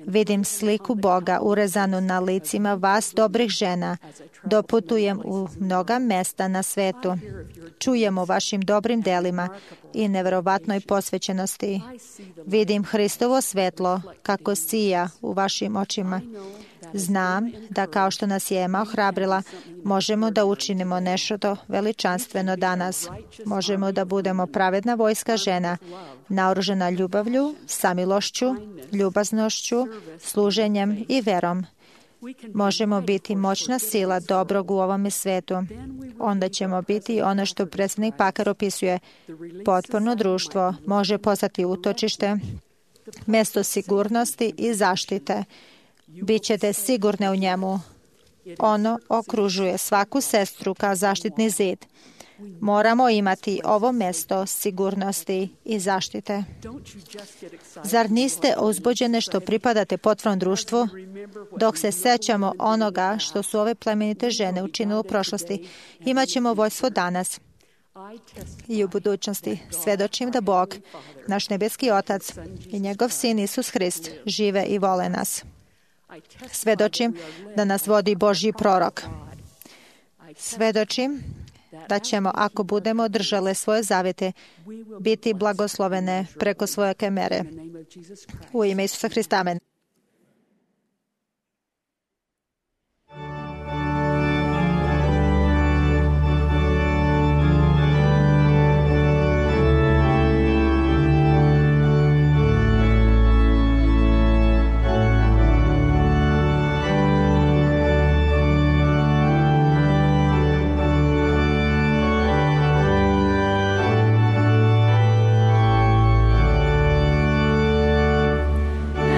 Vidim sliku Boga urezanu na licima vas dobrih žena. Doputujem u mnoga mesta na svetu. Čujem o vašim dobrim delima i neverovatnoj posvećenosti. Vidim Hristovo svetlo kako sija u vašim očima. Znam da kao što nas je Ema ohrabrila, možemo da učinimo nešto veličanstveno danas. Možemo da budemo pravedna vojska žena, naoružana ljubavlju, samilošću, ljubaznošću, služenjem i verom. Možemo biti moćna sila dobrog u ovome svetu. Onda ćemo biti ono što predsjednik Pakar opisuje. Potporno društvo može postati utočište, mjesto sigurnosti i zaštite. Bićete sigurne u njemu. Ono okružuje svaku sestru kao zaštitni zid. Moramo imati ovo mjesto sigurnosti i zaštite. Zar niste uzbuđene što pripadate potpornom društvu? Dok se sećamo onoga što su ove plemenite žene učinile u prošlosti, imat ćemo vojstvo danas i u budućnosti. Svedočim da Bog, naš nebeski Otac i njegov Sin Isus Hrist žive i vole nas. Svedočim da nas vodi Božji prorok. Svedočim da ćemo, ako budemo držale svoje zavete, biti blagoslovene preko svoje mere. U ime Isusa Hrista, amen.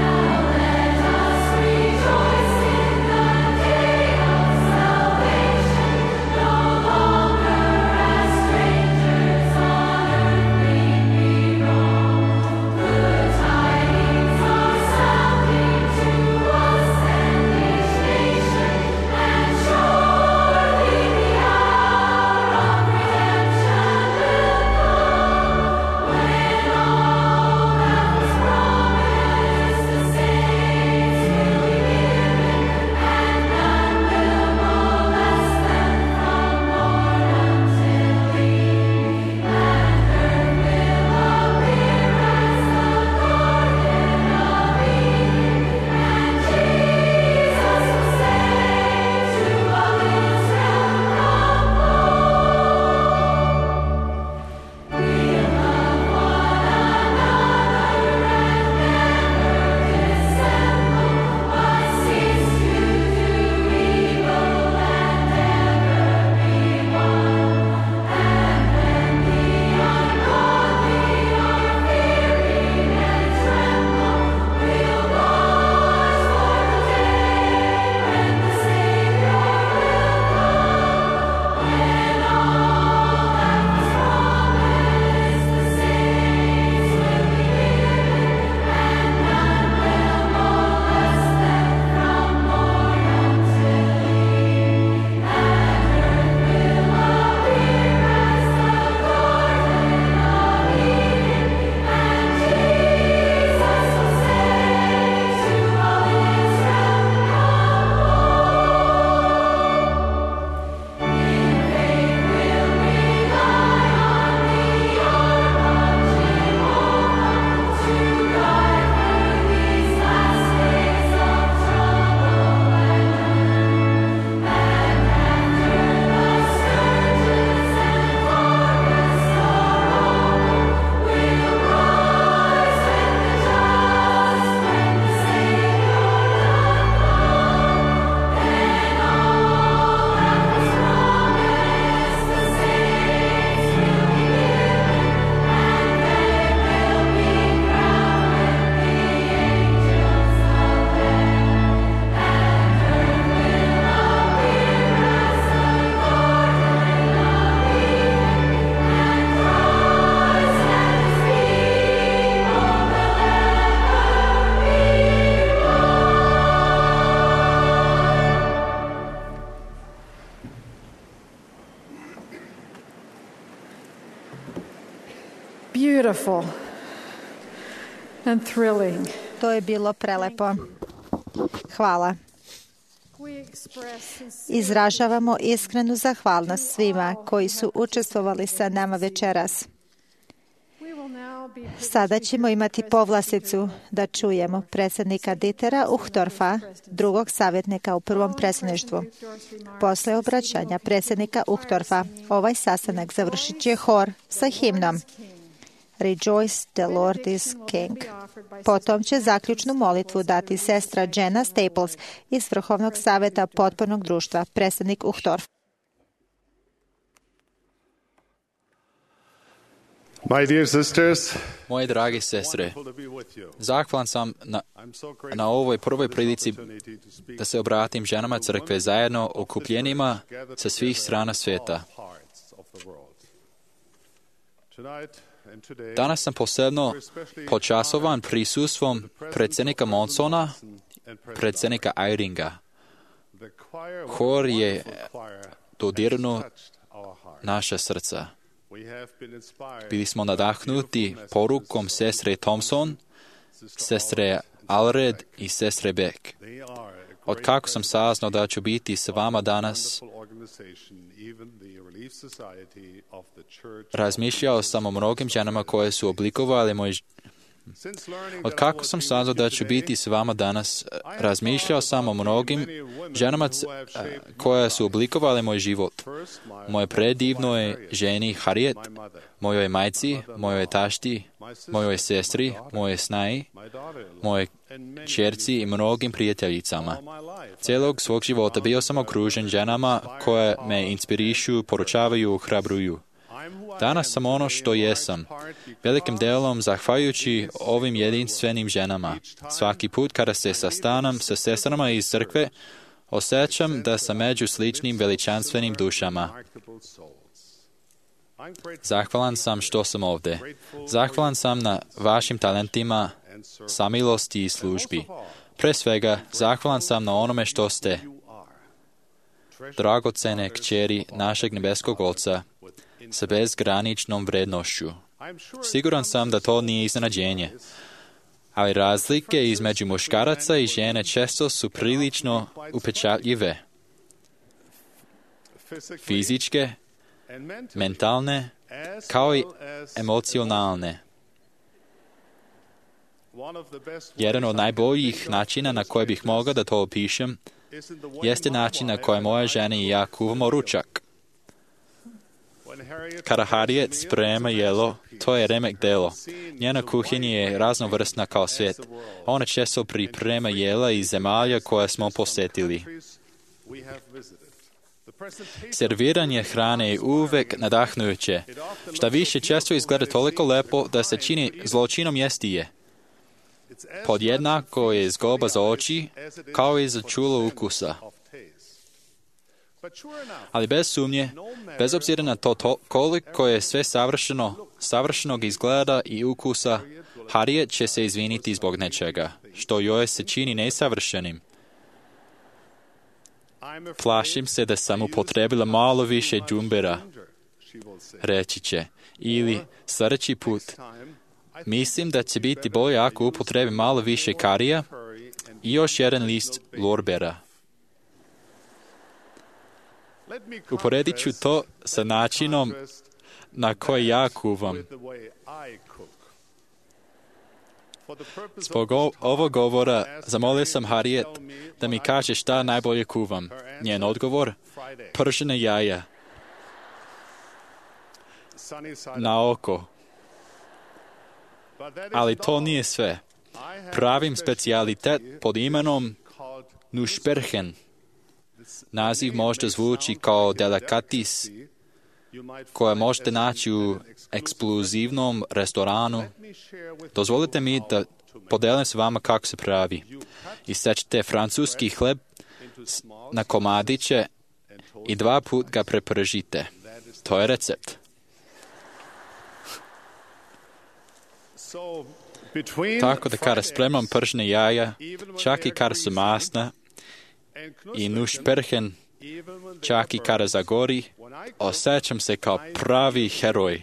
Now beautiful and thrilling. To je bilo prelepo. Hvala. We express sincere Izražavamo iskrenu zahvalnost svima koji su učestvovali sa nama večeras. We will now be Sada ćemo imati povlasticu da čujemo predsjednika Dietera Uchtdorfa, drugog savjetnika u prvom predsjedništvu. Posle obraćanja predsjednika Uchtdorfa, ovaj sastanak završit će hor sa himnom Rejoice, the Lord is King. Potom će zaključnu molitvu dati sestra Jenna Staples iz Vrhovnog savjeta potpornog društva, predsjednik Uchtdorf. My dear sisters, Moje drage sestre, zahvalan sam na ovoj prvoj prilici da se obratim ženama crkve zajedno okupljenima sa svih strana svijeta. Danas sam posebno počasovan prisustvom predsjednika Monsona, predsjednika Eyringa. Hor je dodirnuo naša srca. Bili smo nadahnuti porukom sestre Thompson, sestre Allred i sestre Beck. Od kako sam saznao da ću biti s vama danas, razmišljao sam o mnogim ženama koje su oblikovali moj Od kako sam saznao da ću biti s vama danas, razmišljao sam o mnogim ženama koje su oblikovali moj život. Moje predivnoj ženi Harriet, mojoj majci, mojoj tašti, mojoj sestri, mojoj snaji, moje čerci i mnogim prijateljicama. Cijelog svog života bio sam okružen ženama koje me inspirišu, poručavaju, hrabruju. Danas sam ono što jesam, velikim delom zahvaljujući ovim jedinstvenim ženama. Svaki put kada se sastanem sa sestrama iz crkve, osjećam da sam među sličnim veličanstvenim dušama. Zahvalan sam što sam ovdje. Zahvalan sam na vašim talentima, samilosti i službi. Pre svega, zahvalan sam na onome što ste, dragocene kćeri našeg nebeskog Oca, sa bezgraničnom vrednošću. Siguran sam da to nije iznenađenje, ali razlike između muškaraca i žene često su prilično upečatljive. Fizičke, mentalne, kao i emocionalne. Jedan od najboljih načina na koje bih mogao da to opišem jeste način na koji moja žena i ja kuvamo ručak. Kada Harriet sprema jelo, to je remek delo. Njena kuhinja je raznovrsna kao svijet. Ona često priprema jela iz zemalja koje smo posjetili. Serviranje hrane je uvek nadahnujuće. Šta više, često izgleda toliko lepo da se čini zločinom jesti je. Podjednako je zgoba za oči, kao i za čulo ukusa. Ali bez sumnje, bez obzira na to koliko je sve savršenog izgleda i ukusa, Harriet će se izviniti zbog nečega, što joj se čini nesavršenim. Plašim se da sam upotrebila malo više džumbera, reći će, ili sljedeći put. Mislim da će biti bolje ako upotrebi malo više karija i još jedan list lorbera. Uporedit ću to sa načinom na koji ja kuvam. Zbog ovog govora zamolio sam Harriet da mi kaže šta najbolje kuvam. Njen odgovor? Pržene jaja. Na oko. Ali to nije sve. Pravim specijalitet pod imenom Nussperchen. Naziv možda zvuči kao delikatis koje možete naći u ekskluzivnom restoranu. Dozvolite mi da podelim s vama kako se pravi. Isečete francuski hleb na komadiće i 2 puta ga prepržite. To je recept. Tako da kada spremam pržene jaja, čak i kada su masna, i Nussperchen, čak i kada zagori, osjećam se kao pravi heroj.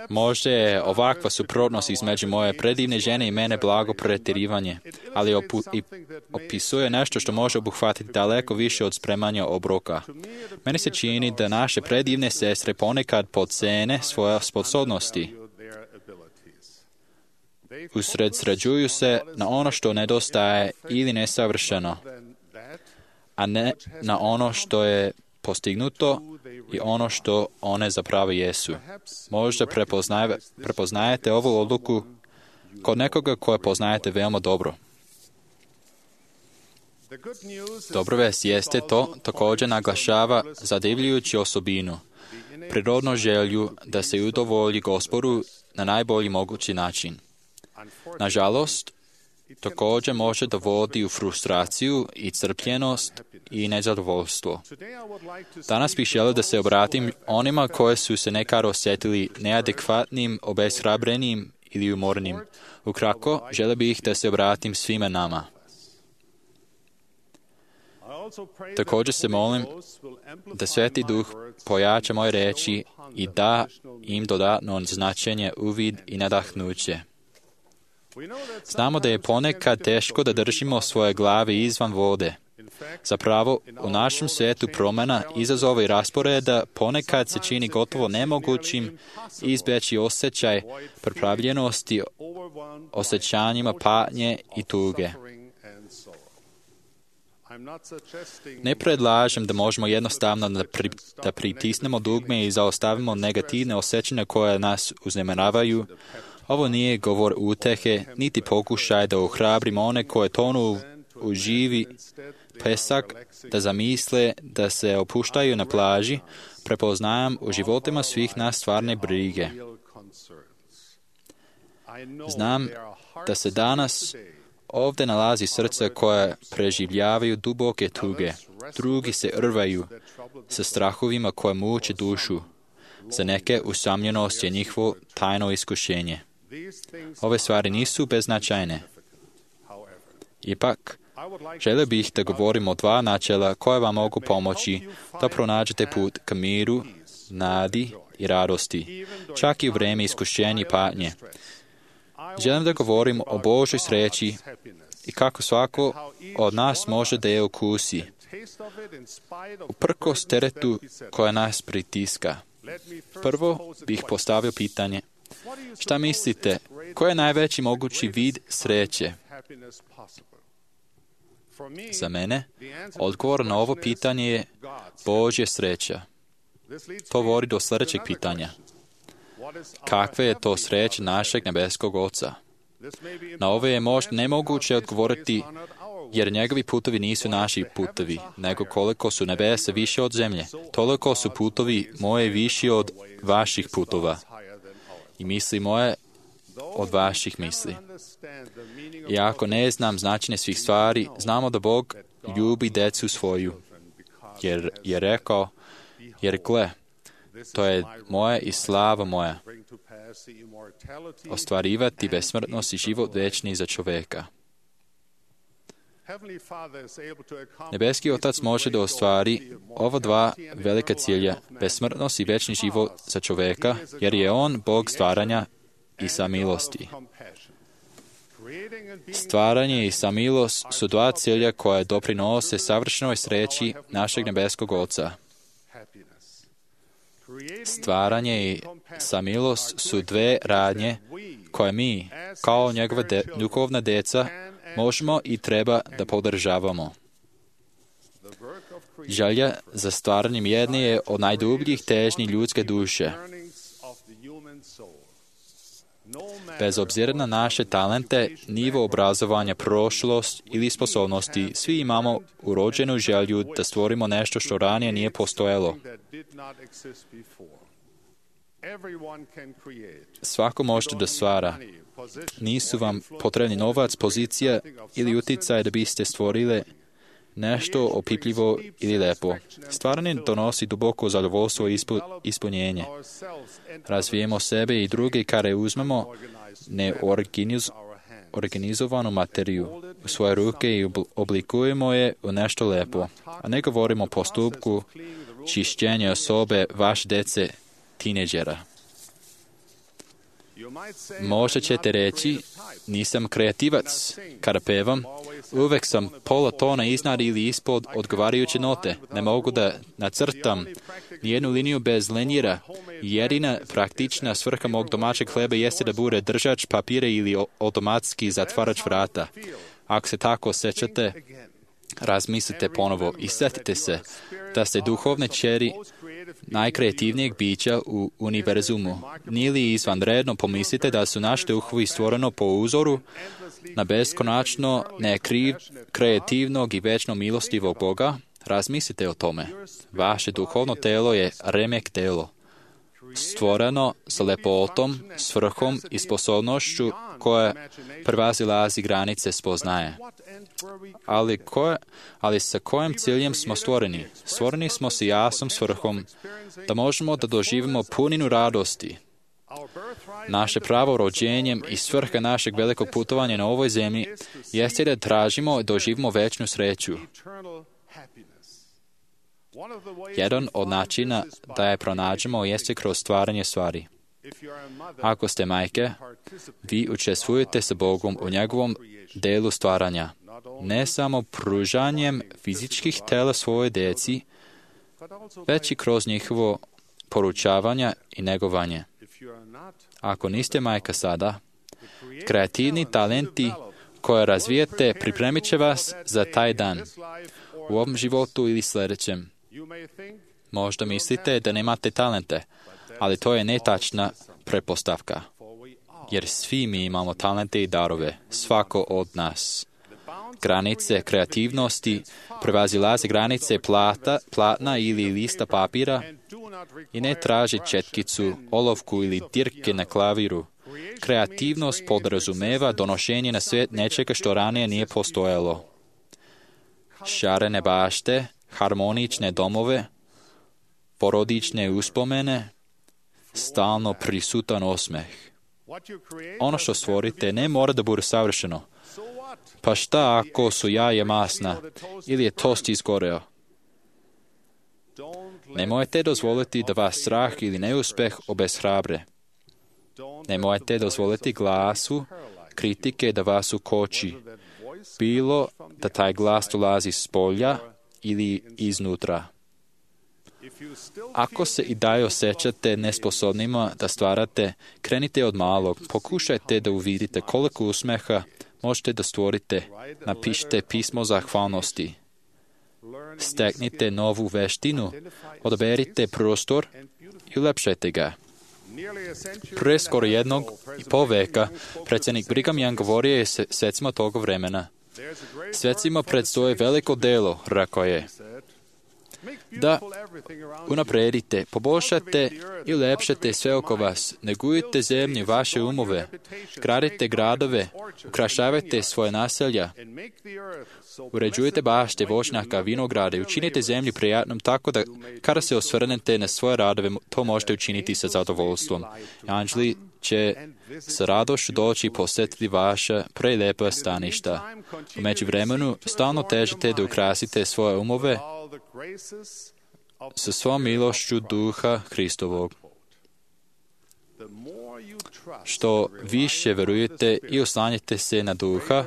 Možda je ovakva suprotnost između moje predivne žene i mene blago pretjerivanje, ali opisuje nešto što može obuhvatiti daleko više od spremanja obroka. Meni se čini da naše predivne sestre ponekad podcene svoje sposobnosti. Usredsređuju se na ono što nedostaje ili nesavršeno, a ne na ono što je postignuto i ono što one zapravo jesu. Možda prepoznajete ovu odluku kod nekoga koje poznajete veoma dobro. Dobra vest jeste to također naglašava zadivljujuću osobinu, prirodnu želju da se udovolji Gospodu na najbolji mogući način. Nažalost, također može dovodi u frustraciju i crpljenost i nezadovoljstvo. Danas bih želio da se obratim onima koji su se nekad osjetili neadekvatnim, obeshrabrenim ili umornim. Ukratko, želio bih da se obratim svima nama. Također se molim da Sveti Duh pojača moje reči i da im dodatno značenje, uvid i nadahnuće. Znamo da je ponekad teško da držimo svoje glave izvan vode. Zapravo, u našem svijetu promjena, izazova i rasporeda ponekad se čini gotovo nemogućim izbjeći osjećaj pripravljenosti osjećanjima patnje i tuge. Ne predlažem da možemo jednostavno da pritisnemo dugme i zaustavimo negativne osjećanja koje nas uznemiravaju. Ovo nije govor utehe, niti pokušaj da ohrabrimo one koje tonu u živi pesak, da zamisle da se opuštaju na plaži. Prepoznajem u životima svih nas stvarne brige. Znam da se danas ovdje nalazi srce koje preživljavaju duboke tuge. Drugi se rvaju sa strahovima koje muče dušu. Za neke usamljenost je njihovo tajno iskušenje. Ove stvari nisu beznačajne. Ipak, želio bih da govorim o dva načela koje vam mogu pomoći da pronađete put ka miru, nadi i radosti, čak i u vrijeme iskušenja i patnje. Želim da govorim o Božoj sreći i kako svako od nas može da je ukusi, uprkos teretu koja nas pritiska. Prvo bih postavio pitanje: šta mislite, koji je najveći mogući vid sreće? Za mene, odgovor na ovo pitanje je Božja sreća. To vodi do sljedećeg pitanja. Kakva je to sreća našeg nebeskog Oca? Na ove je možda nemoguće odgovoriti, jer njegovi putovi nisu naši putovi, nego koliko su nebesa više od zemlje, toliko su putovi moje viši od vaših putova i misli moje od vaših misli. I ako ne znam značenje svih stvari, znamo da Bog ljubi decu svoju, jer je rekao, jer gle, to je moja i slava moja, ostvarivati besmrtnost i život večni za čoveka. Nebeski Otac može da ostvari ova dva velika cilja, besmrtnost i večni život za čoveka, jer je On Bog stvaranja i samilosti. Stvaranje i samilost su dva cilja koje doprinose savršenoj sreći našeg nebeskog Oca. Stvaranje i samilost su dve radnje koje mi, kao njegova duhovna deca, možemo i treba da podržavamo. Želja za stvaranjem jedne je od najdubljih težnji ljudske duše. Bez obzira na naše talente, nivo obrazovanja, prošlost ili sposobnosti, svi imamo urođenu želju da stvorimo nešto što ranije nije postojalo. Svako možete da stvara. Nisu vam potrebni novac, pozicija ili uticaj da biste stvorili nešto opipljivo ili lepo. Stvaranje donosi duboko zadovoljstvo i ispunjenje. Razvijemo sebe i druge kada uzmemo neorganizovanu materiju u svoje ruke i oblikujemo je u nešto lepo. A ne govorimo o postupku čišćenja osobe vaše dece, tineđera. Možda ćete reći, nisam kreativac. Kada pevam, uvek sam pola tona iznad ili ispod odgovarajuće note. Ne mogu da nacrtam nijednu liniju bez lenjira. Jedina praktična svrha mog domaćeg hleba jeste da bude držač papira ili automatski zatvarač vrata. Ako se tako osjećate, razmislite ponovo i sjetite se da ste duhovne ćeri najkreativnijeg bića u univerzumu. Nije li izvanredno pomislite da su naši duhovi stvoreno po uzoru na beskonačno, kreativnog i večno milostivog Boga? Razmislite o tome. Vaše duhovno telo je remek telo, stvoreno sa lepotom, svrhom i sposobnošću koja prevazilazi granice spoznaje. Ali sa kojim ciljem smo stvoreni? Stvoreni smo sa jasnom svrhom da možemo da doživimo puninu radosti. Naše pravo rođenjem i svrha našeg velikog putovanja na ovoj zemlji jeste da tražimo i doživimo večnu sreću. Jedan od načina da je pronađemo jeste kroz stvaranje stvari. Ako ste majke, vi učestvujete sa Bogom u njegovom delu stvaranja, ne samo pružanjem fizičkih tela svoje djeci, već i kroz njihovo poručavanje i negovanje. Ako niste majka sada, kreativni talenti koje razvijete pripremit će vas za taj dan, u ovom životu ili sljedećem. Možda mislite da nemate talente, ali to je netačna pretpostavka. Jer svi mi imamo talente i darove, svako od nas. Granice kreativnosti prevazilaze granice platna ili lista papira i ne traži četkicu, olovku ili dirke na klaviru. Kreativnost podrazumeva donošenje na svijet nečega što ranije nije postojalo. Šarene bašte, harmonične domove, porodične uspomene, stalno prisutan osmeh. Ono što stvorite ne mora da bude savršeno. Pa šta ako su jaje masna ili je tost izgoreo? Nemojte dozvoliti da vas strah ili neuspeh obeshrabre. Nemojte dozvoliti glasu kritike da vas ukoči, bilo da taj glas dolazi s polja ili iznutra. Ako se i dalje osjećate nesposobnima da stvarate, krenite od malog. Pokušajte da uvidite koliko usmeha možete da stvorite. Napišite pismo zahvalnosti. Steknite novu veštinu. Odaberite prostor i ulepšajte ga. Pre skoro 1,5 veka predsjednik Brigham Young govorio je svecima toga vremena. Svecima predstoje veliko delo, rekao je, da unapredite, poboljšate i ulepšate sve oko vas, negujte zemlju vaše umove, gradite gradove, ukrašavajte svoje naselja, uređujte bašte, voćnjaka, vinograde, učinite zemlju prijatnom tako da kada se osvrnete na svoje radove, to možete učiniti sa zadovoljstvom. Anđeli će sa radošću doći i posjetiti vaša prelijepa staništa. U međuvremenu stalno težite da ukrasite svoje umove sa svom milošću Duha Hristovog. Što više verujete i oslanjate se na Duha,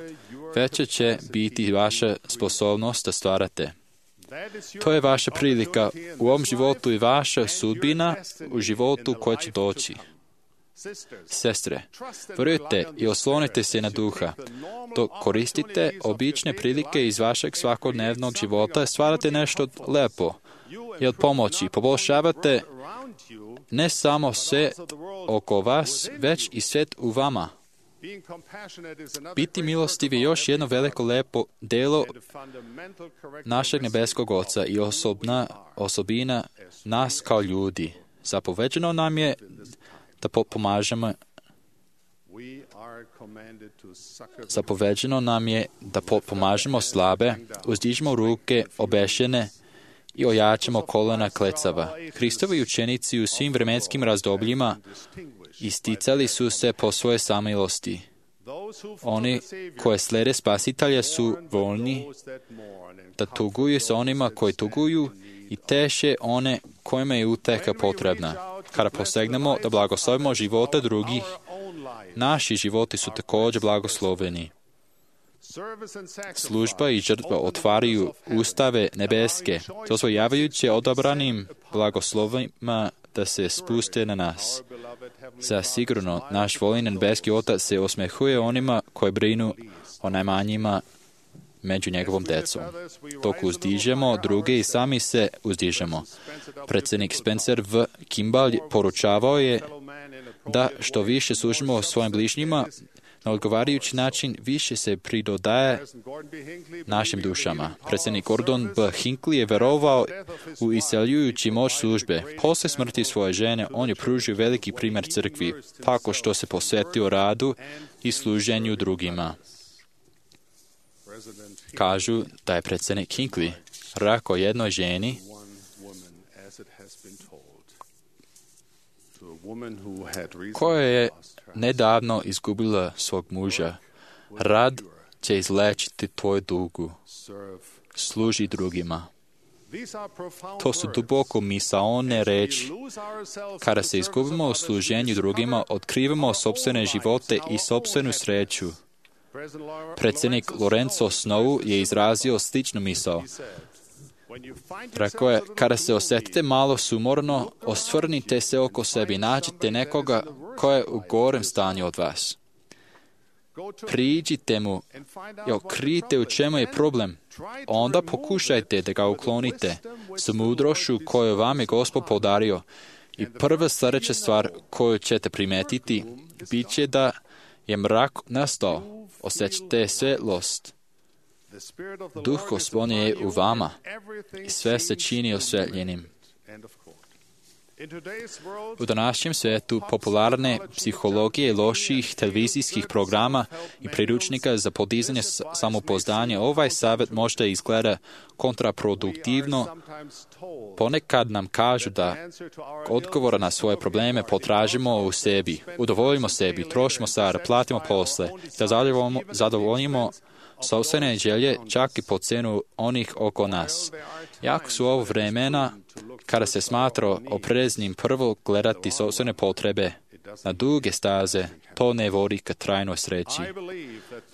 veća će biti vaša sposobnost da stvarate. To je vaša prilika u ovom životu i vaša sudbina u životu koji će doći. Sestre, verujte i oslonite se na Duha. Dok koristite obične prilike iz vašeg svakodnevnog života, stvarate nešto lepo i od pomoći. Poboljšavate ne samo sve oko vas, već i svijet u vama. Biti milostiv je još jedno veliko lepo delo našeg nebeskog Oca i osobina nas kao ljudi. Zapoveđeno nam je da pomažemo slabe, uzdižemo ruke obešene i ojačamo kolena klecava. Hristovi učenici u svim vremenskim razdobljima isticali su se po svoje samilosti. Oni koje slede Spasitelja su voljni da tuguju sa onima koji tuguju i teše one kojima je uteha potrebna. Kada posegnemo da blagoslovimo života drugih, Naši životi su također blagosloveni. Služba i žrtva otvaraju ustave nebeske, dozvoljavajući odabranim blagoslovima da se spuste na nas. Zasigurno, naš voljeni nebeski Otac se osmehuje onima koji brinu o najmanjima među njegovom decom. Dok uzdižemo druge i sami se uzdižemo. Predsjednik Spencer V. Kimball poručavao je da što više služimo svojim bližnjima, na odgovarajući način više se pridodaje našim dušama. Predsjednik Gordon B. Hinckley je verovao u isceljujući moć službe. Poslije smrti svoje žene, on je pružio veliki primjer crkvi, tako što se posvetio radu i služenju drugima. Kažu da je predsjednik Hinckley rekao jednoj ženi koja je nedavno izgubila svog muža: rad će izlečiti tvoju dugu, služi drugima. To su duboko misaone reči. Kada se izgubimo u služenju drugima, otkrivamo sopstvene živote i sopstvenu sreću. Predsjednik Lorenzo Snow je izrazio sličnu misao. Rekao je: kada se osjetite malo sumorno, osvrnite se oko sebe i nađite nekoga ko je u gorem stanju od vas. Priđite mu i otkrijte u čemu je problem. Onda pokušajte da ga uklonite s mudrošću koju vam je Gospod podario. I prva sljedeća stvar koju ćete primetiti bit će da je mrak nastao. Osjećate svjetlost. Duh Gospodnji je u vama i sve se čini osvjetljenim. U današnjem svijetu popularne psihologije, loših televizijskih programa i priručnika za podizanje samopouzdanja, ovaj savjet možda izgleda kontraproduktivno. Ponekad nam kažu da odgovora na svoje probleme potražimo u sebi, udovoljimo sebi, trošimo sada, platimo posle, da zadovoljimo sopstvene želje čak i po cenu onih oko nas. Jako su ovo vremena kada se smatra opreznim prvo gledati sopstvene potrebe. Na duge staze to ne vodi ka trajnoj sreći.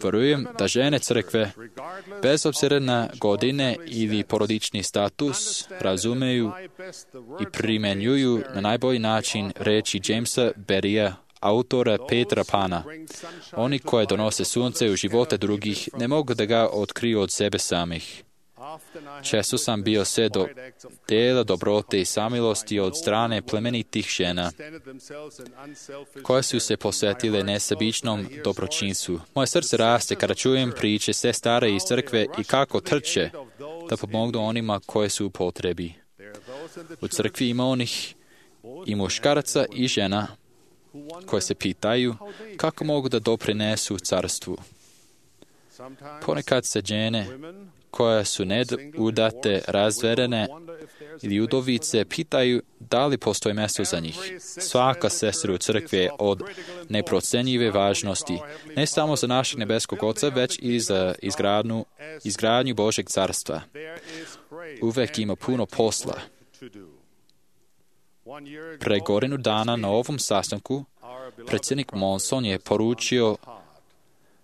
Vjerujem da žene crkve, bez obzira na godine ili porodični status, razumeju i primjenjuju na najbolji način reči Jamesa Berrya, autora Petra Pana. Oni koji donose sunce u živote drugih ne mogu da ga otkriju od sebe samih. Često sam bio svjedok dela dobrote i samilosti od strane plemenitih žena koje su se posvetile nesebičnom dobročinstvu. Moje srce raste kada čujem priče sestara iz crkve i kako trče da pomognu onima koje su u potrebi. U crkvi ima onih i muškaraca i žena koje se pitaju kako mogu da doprinesu carstvu. Ponekad se žene koje su neudate, razvedene ili udovice pitaju da li postoji mjesto za njih. Svaka sestra u crkvi je od neprocenjive važnosti, ne samo za našeg nebeskog Oca, već i za izgradnju Božeg carstva. Uvek ima puno posla. Pre godinu dana na ovom sastanku predsjednik Monson je poručio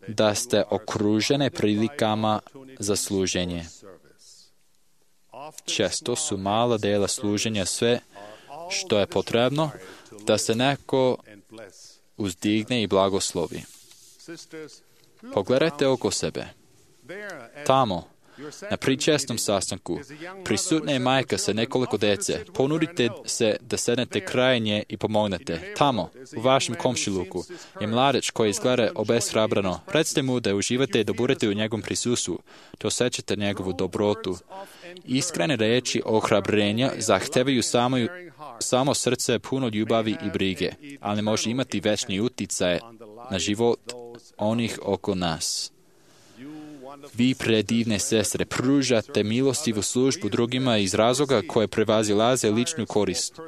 da ste okružene prilikama za služenje. Često su mala dela služenja sve što je potrebno da se neko uzdigne i blagoslovi. Pogledajte oko sebe. Tamo, na pričesnom sastanku, prisutna je majka sa nekoliko dece. Ponudite se da sednete kraj nje i pomognete. Tamo, u vašem komšiluku, je mladeć koji izgleda obeshrabrano. Recite mu da uživate i da budete u njegovom prisustvu, da osjećate njegovu dobrotu. Iskrene reči ohrabrenja zahtevaju samo srce puno ljubavi i brige, ali može imati večni uticaj na život onih oko nas. Vi, predivne sestre, pružate milostivu službu drugima iz razloga koje prevazilaze ličnu korist.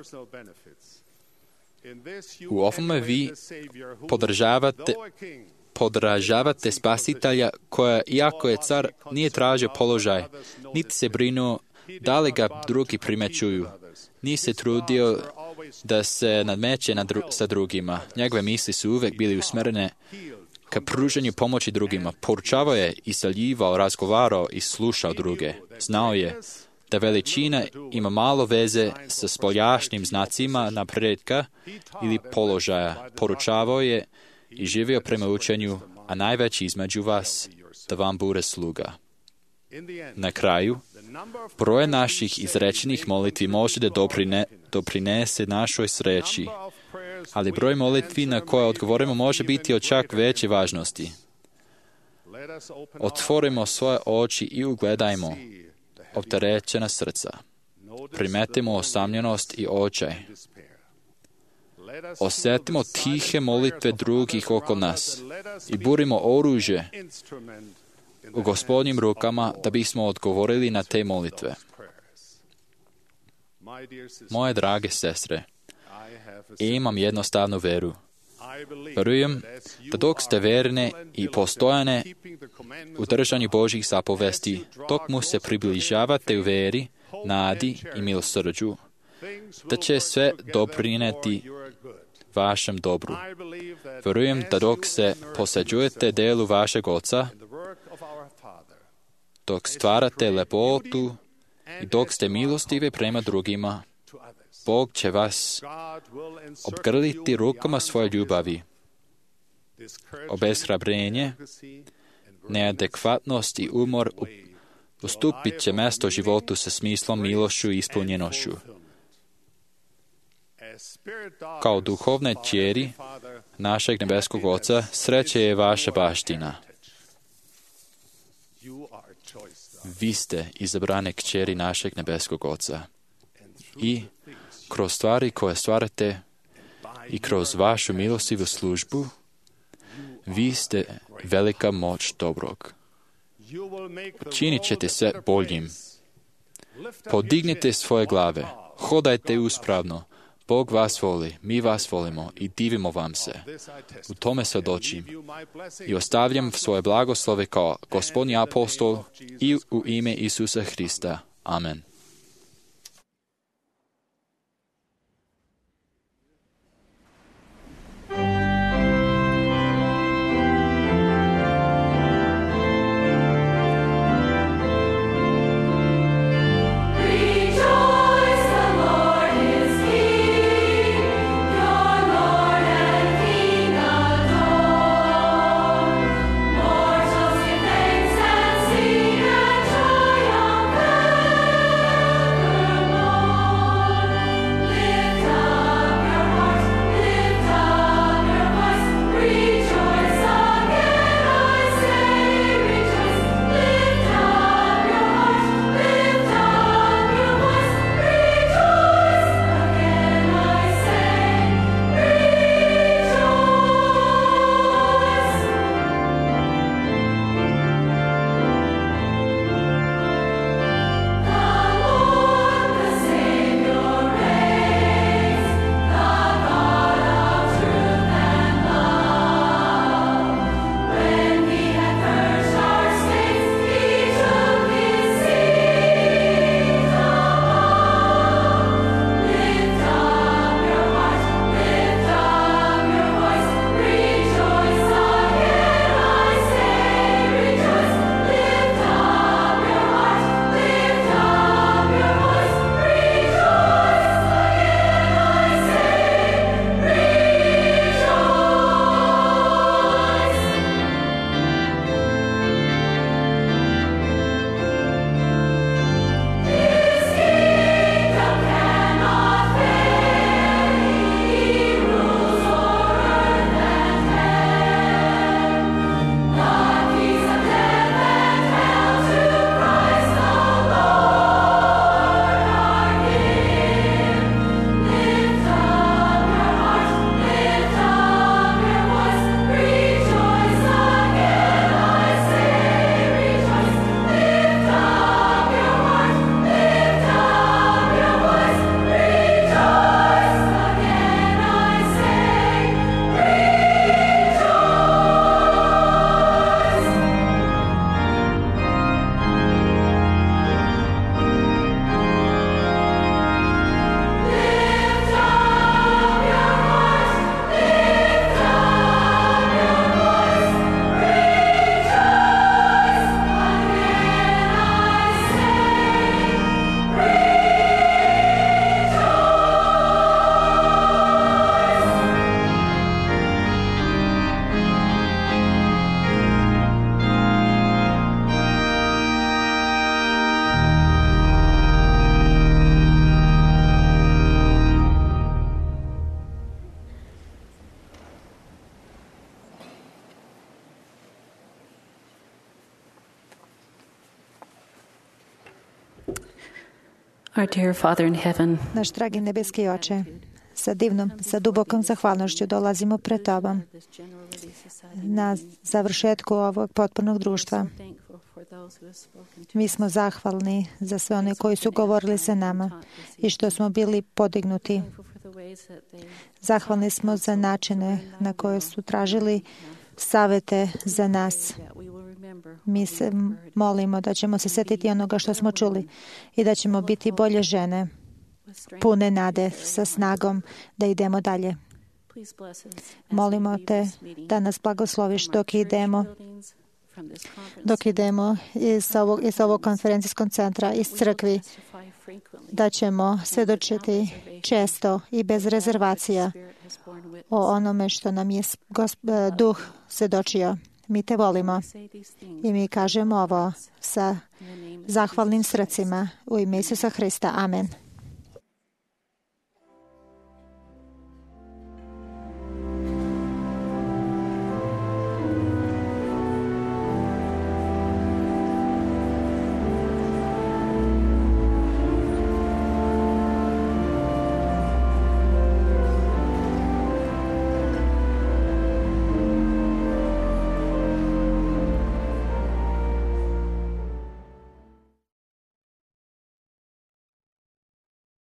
U ovome vi podržavate Spasitelja koja, iako je car, nije tražio položaj, niti se brinuo da li ga drugi primećuju, nije se trudio da se nadmeće sa drugima. Njegove misli su uvek bili usmerene ka pruženju pomoći drugima. Poručavao je, isaljivao, razgovarao i slušao druge. Znao je da veličina ima malo veze sa spoljašnjim znacima napretka ili položaja. Poručavao je i živio prema učenju, a najveći između vas da vam bude sluga. Na kraju, broj naših izrečenih molitvi može da doprinese našoj sreći, ali broj molitvi na koje odgovorimo može biti od čak veće važnosti. Otvorimo svoje oči i ugledajmo opterećena srca. Primetimo osamljenost i očaj. Osjetimo tihe molitve drugih oko nas i budimo oružje u Gospodnjim rukama da bismo odgovorili na te molitve. Moje drage sestre, imam jednostavnu veru. Verujem da dok ste verne i postojane u držanju Božjih zapovesti, dok mu se približavate u veri, nadi i milosrđu, da će sve doprineti vašem dobru. Verujem da dok se posvećujete delu vašeg Oca, dok stvarate lepotu i dok ste milostivi prema drugima, Bog će vas obgrliti rukama svoje ljubavi. Obeshrabrenje, neadekvatnost i umor ustupit će mesto životu sa smislom, milošću i ispunjenošću. Kao duhovne kćeri našeg nebeskog Oca, sreće je vaša baština. Vi ste izabrane kćeri našeg nebeskog Oca. I kroz stvari koje stvarate i kroz vašu milostivu službu, vi ste velika moć dobrog. Činit ćete se boljim. Podignite svoje glave, hodajte uspravno. Bog vas voli, mi vas volimo i divimo vam se. U tome svjedočim i ostavljam svoje blagoslove kao Gospodnji apostol i u ime Isusa Hrista. Amen. Mortals give thanks and sing and triumph. Our dear Father in heaven, Naš dragi nebeski Oče, sa dubokom zahvalnošću dolazimo pred Tobom na završetku ovog potpornog društva. Mi smo zahvalni za sve one koji su govorili sa nama i što smo bili podignuti. Zahvalni smo za načine na koje su tražili savete za nas. Mi se molimo da ćemo se sjetiti onoga što smo čuli i da ćemo biti bolje žene, pune nade, sa snagom da idemo dalje. Molimo te da nas blagosloviš dok idemo iz ovog konferencijskog centra, iz crkvi, da ćemo svjedočiti često i bez rezervacija o onome što nam je Duh svjedočio. Mi te volimo i mi kažemo ovo sa zahvalnim srcima u ime Isusa Hrista. Amen.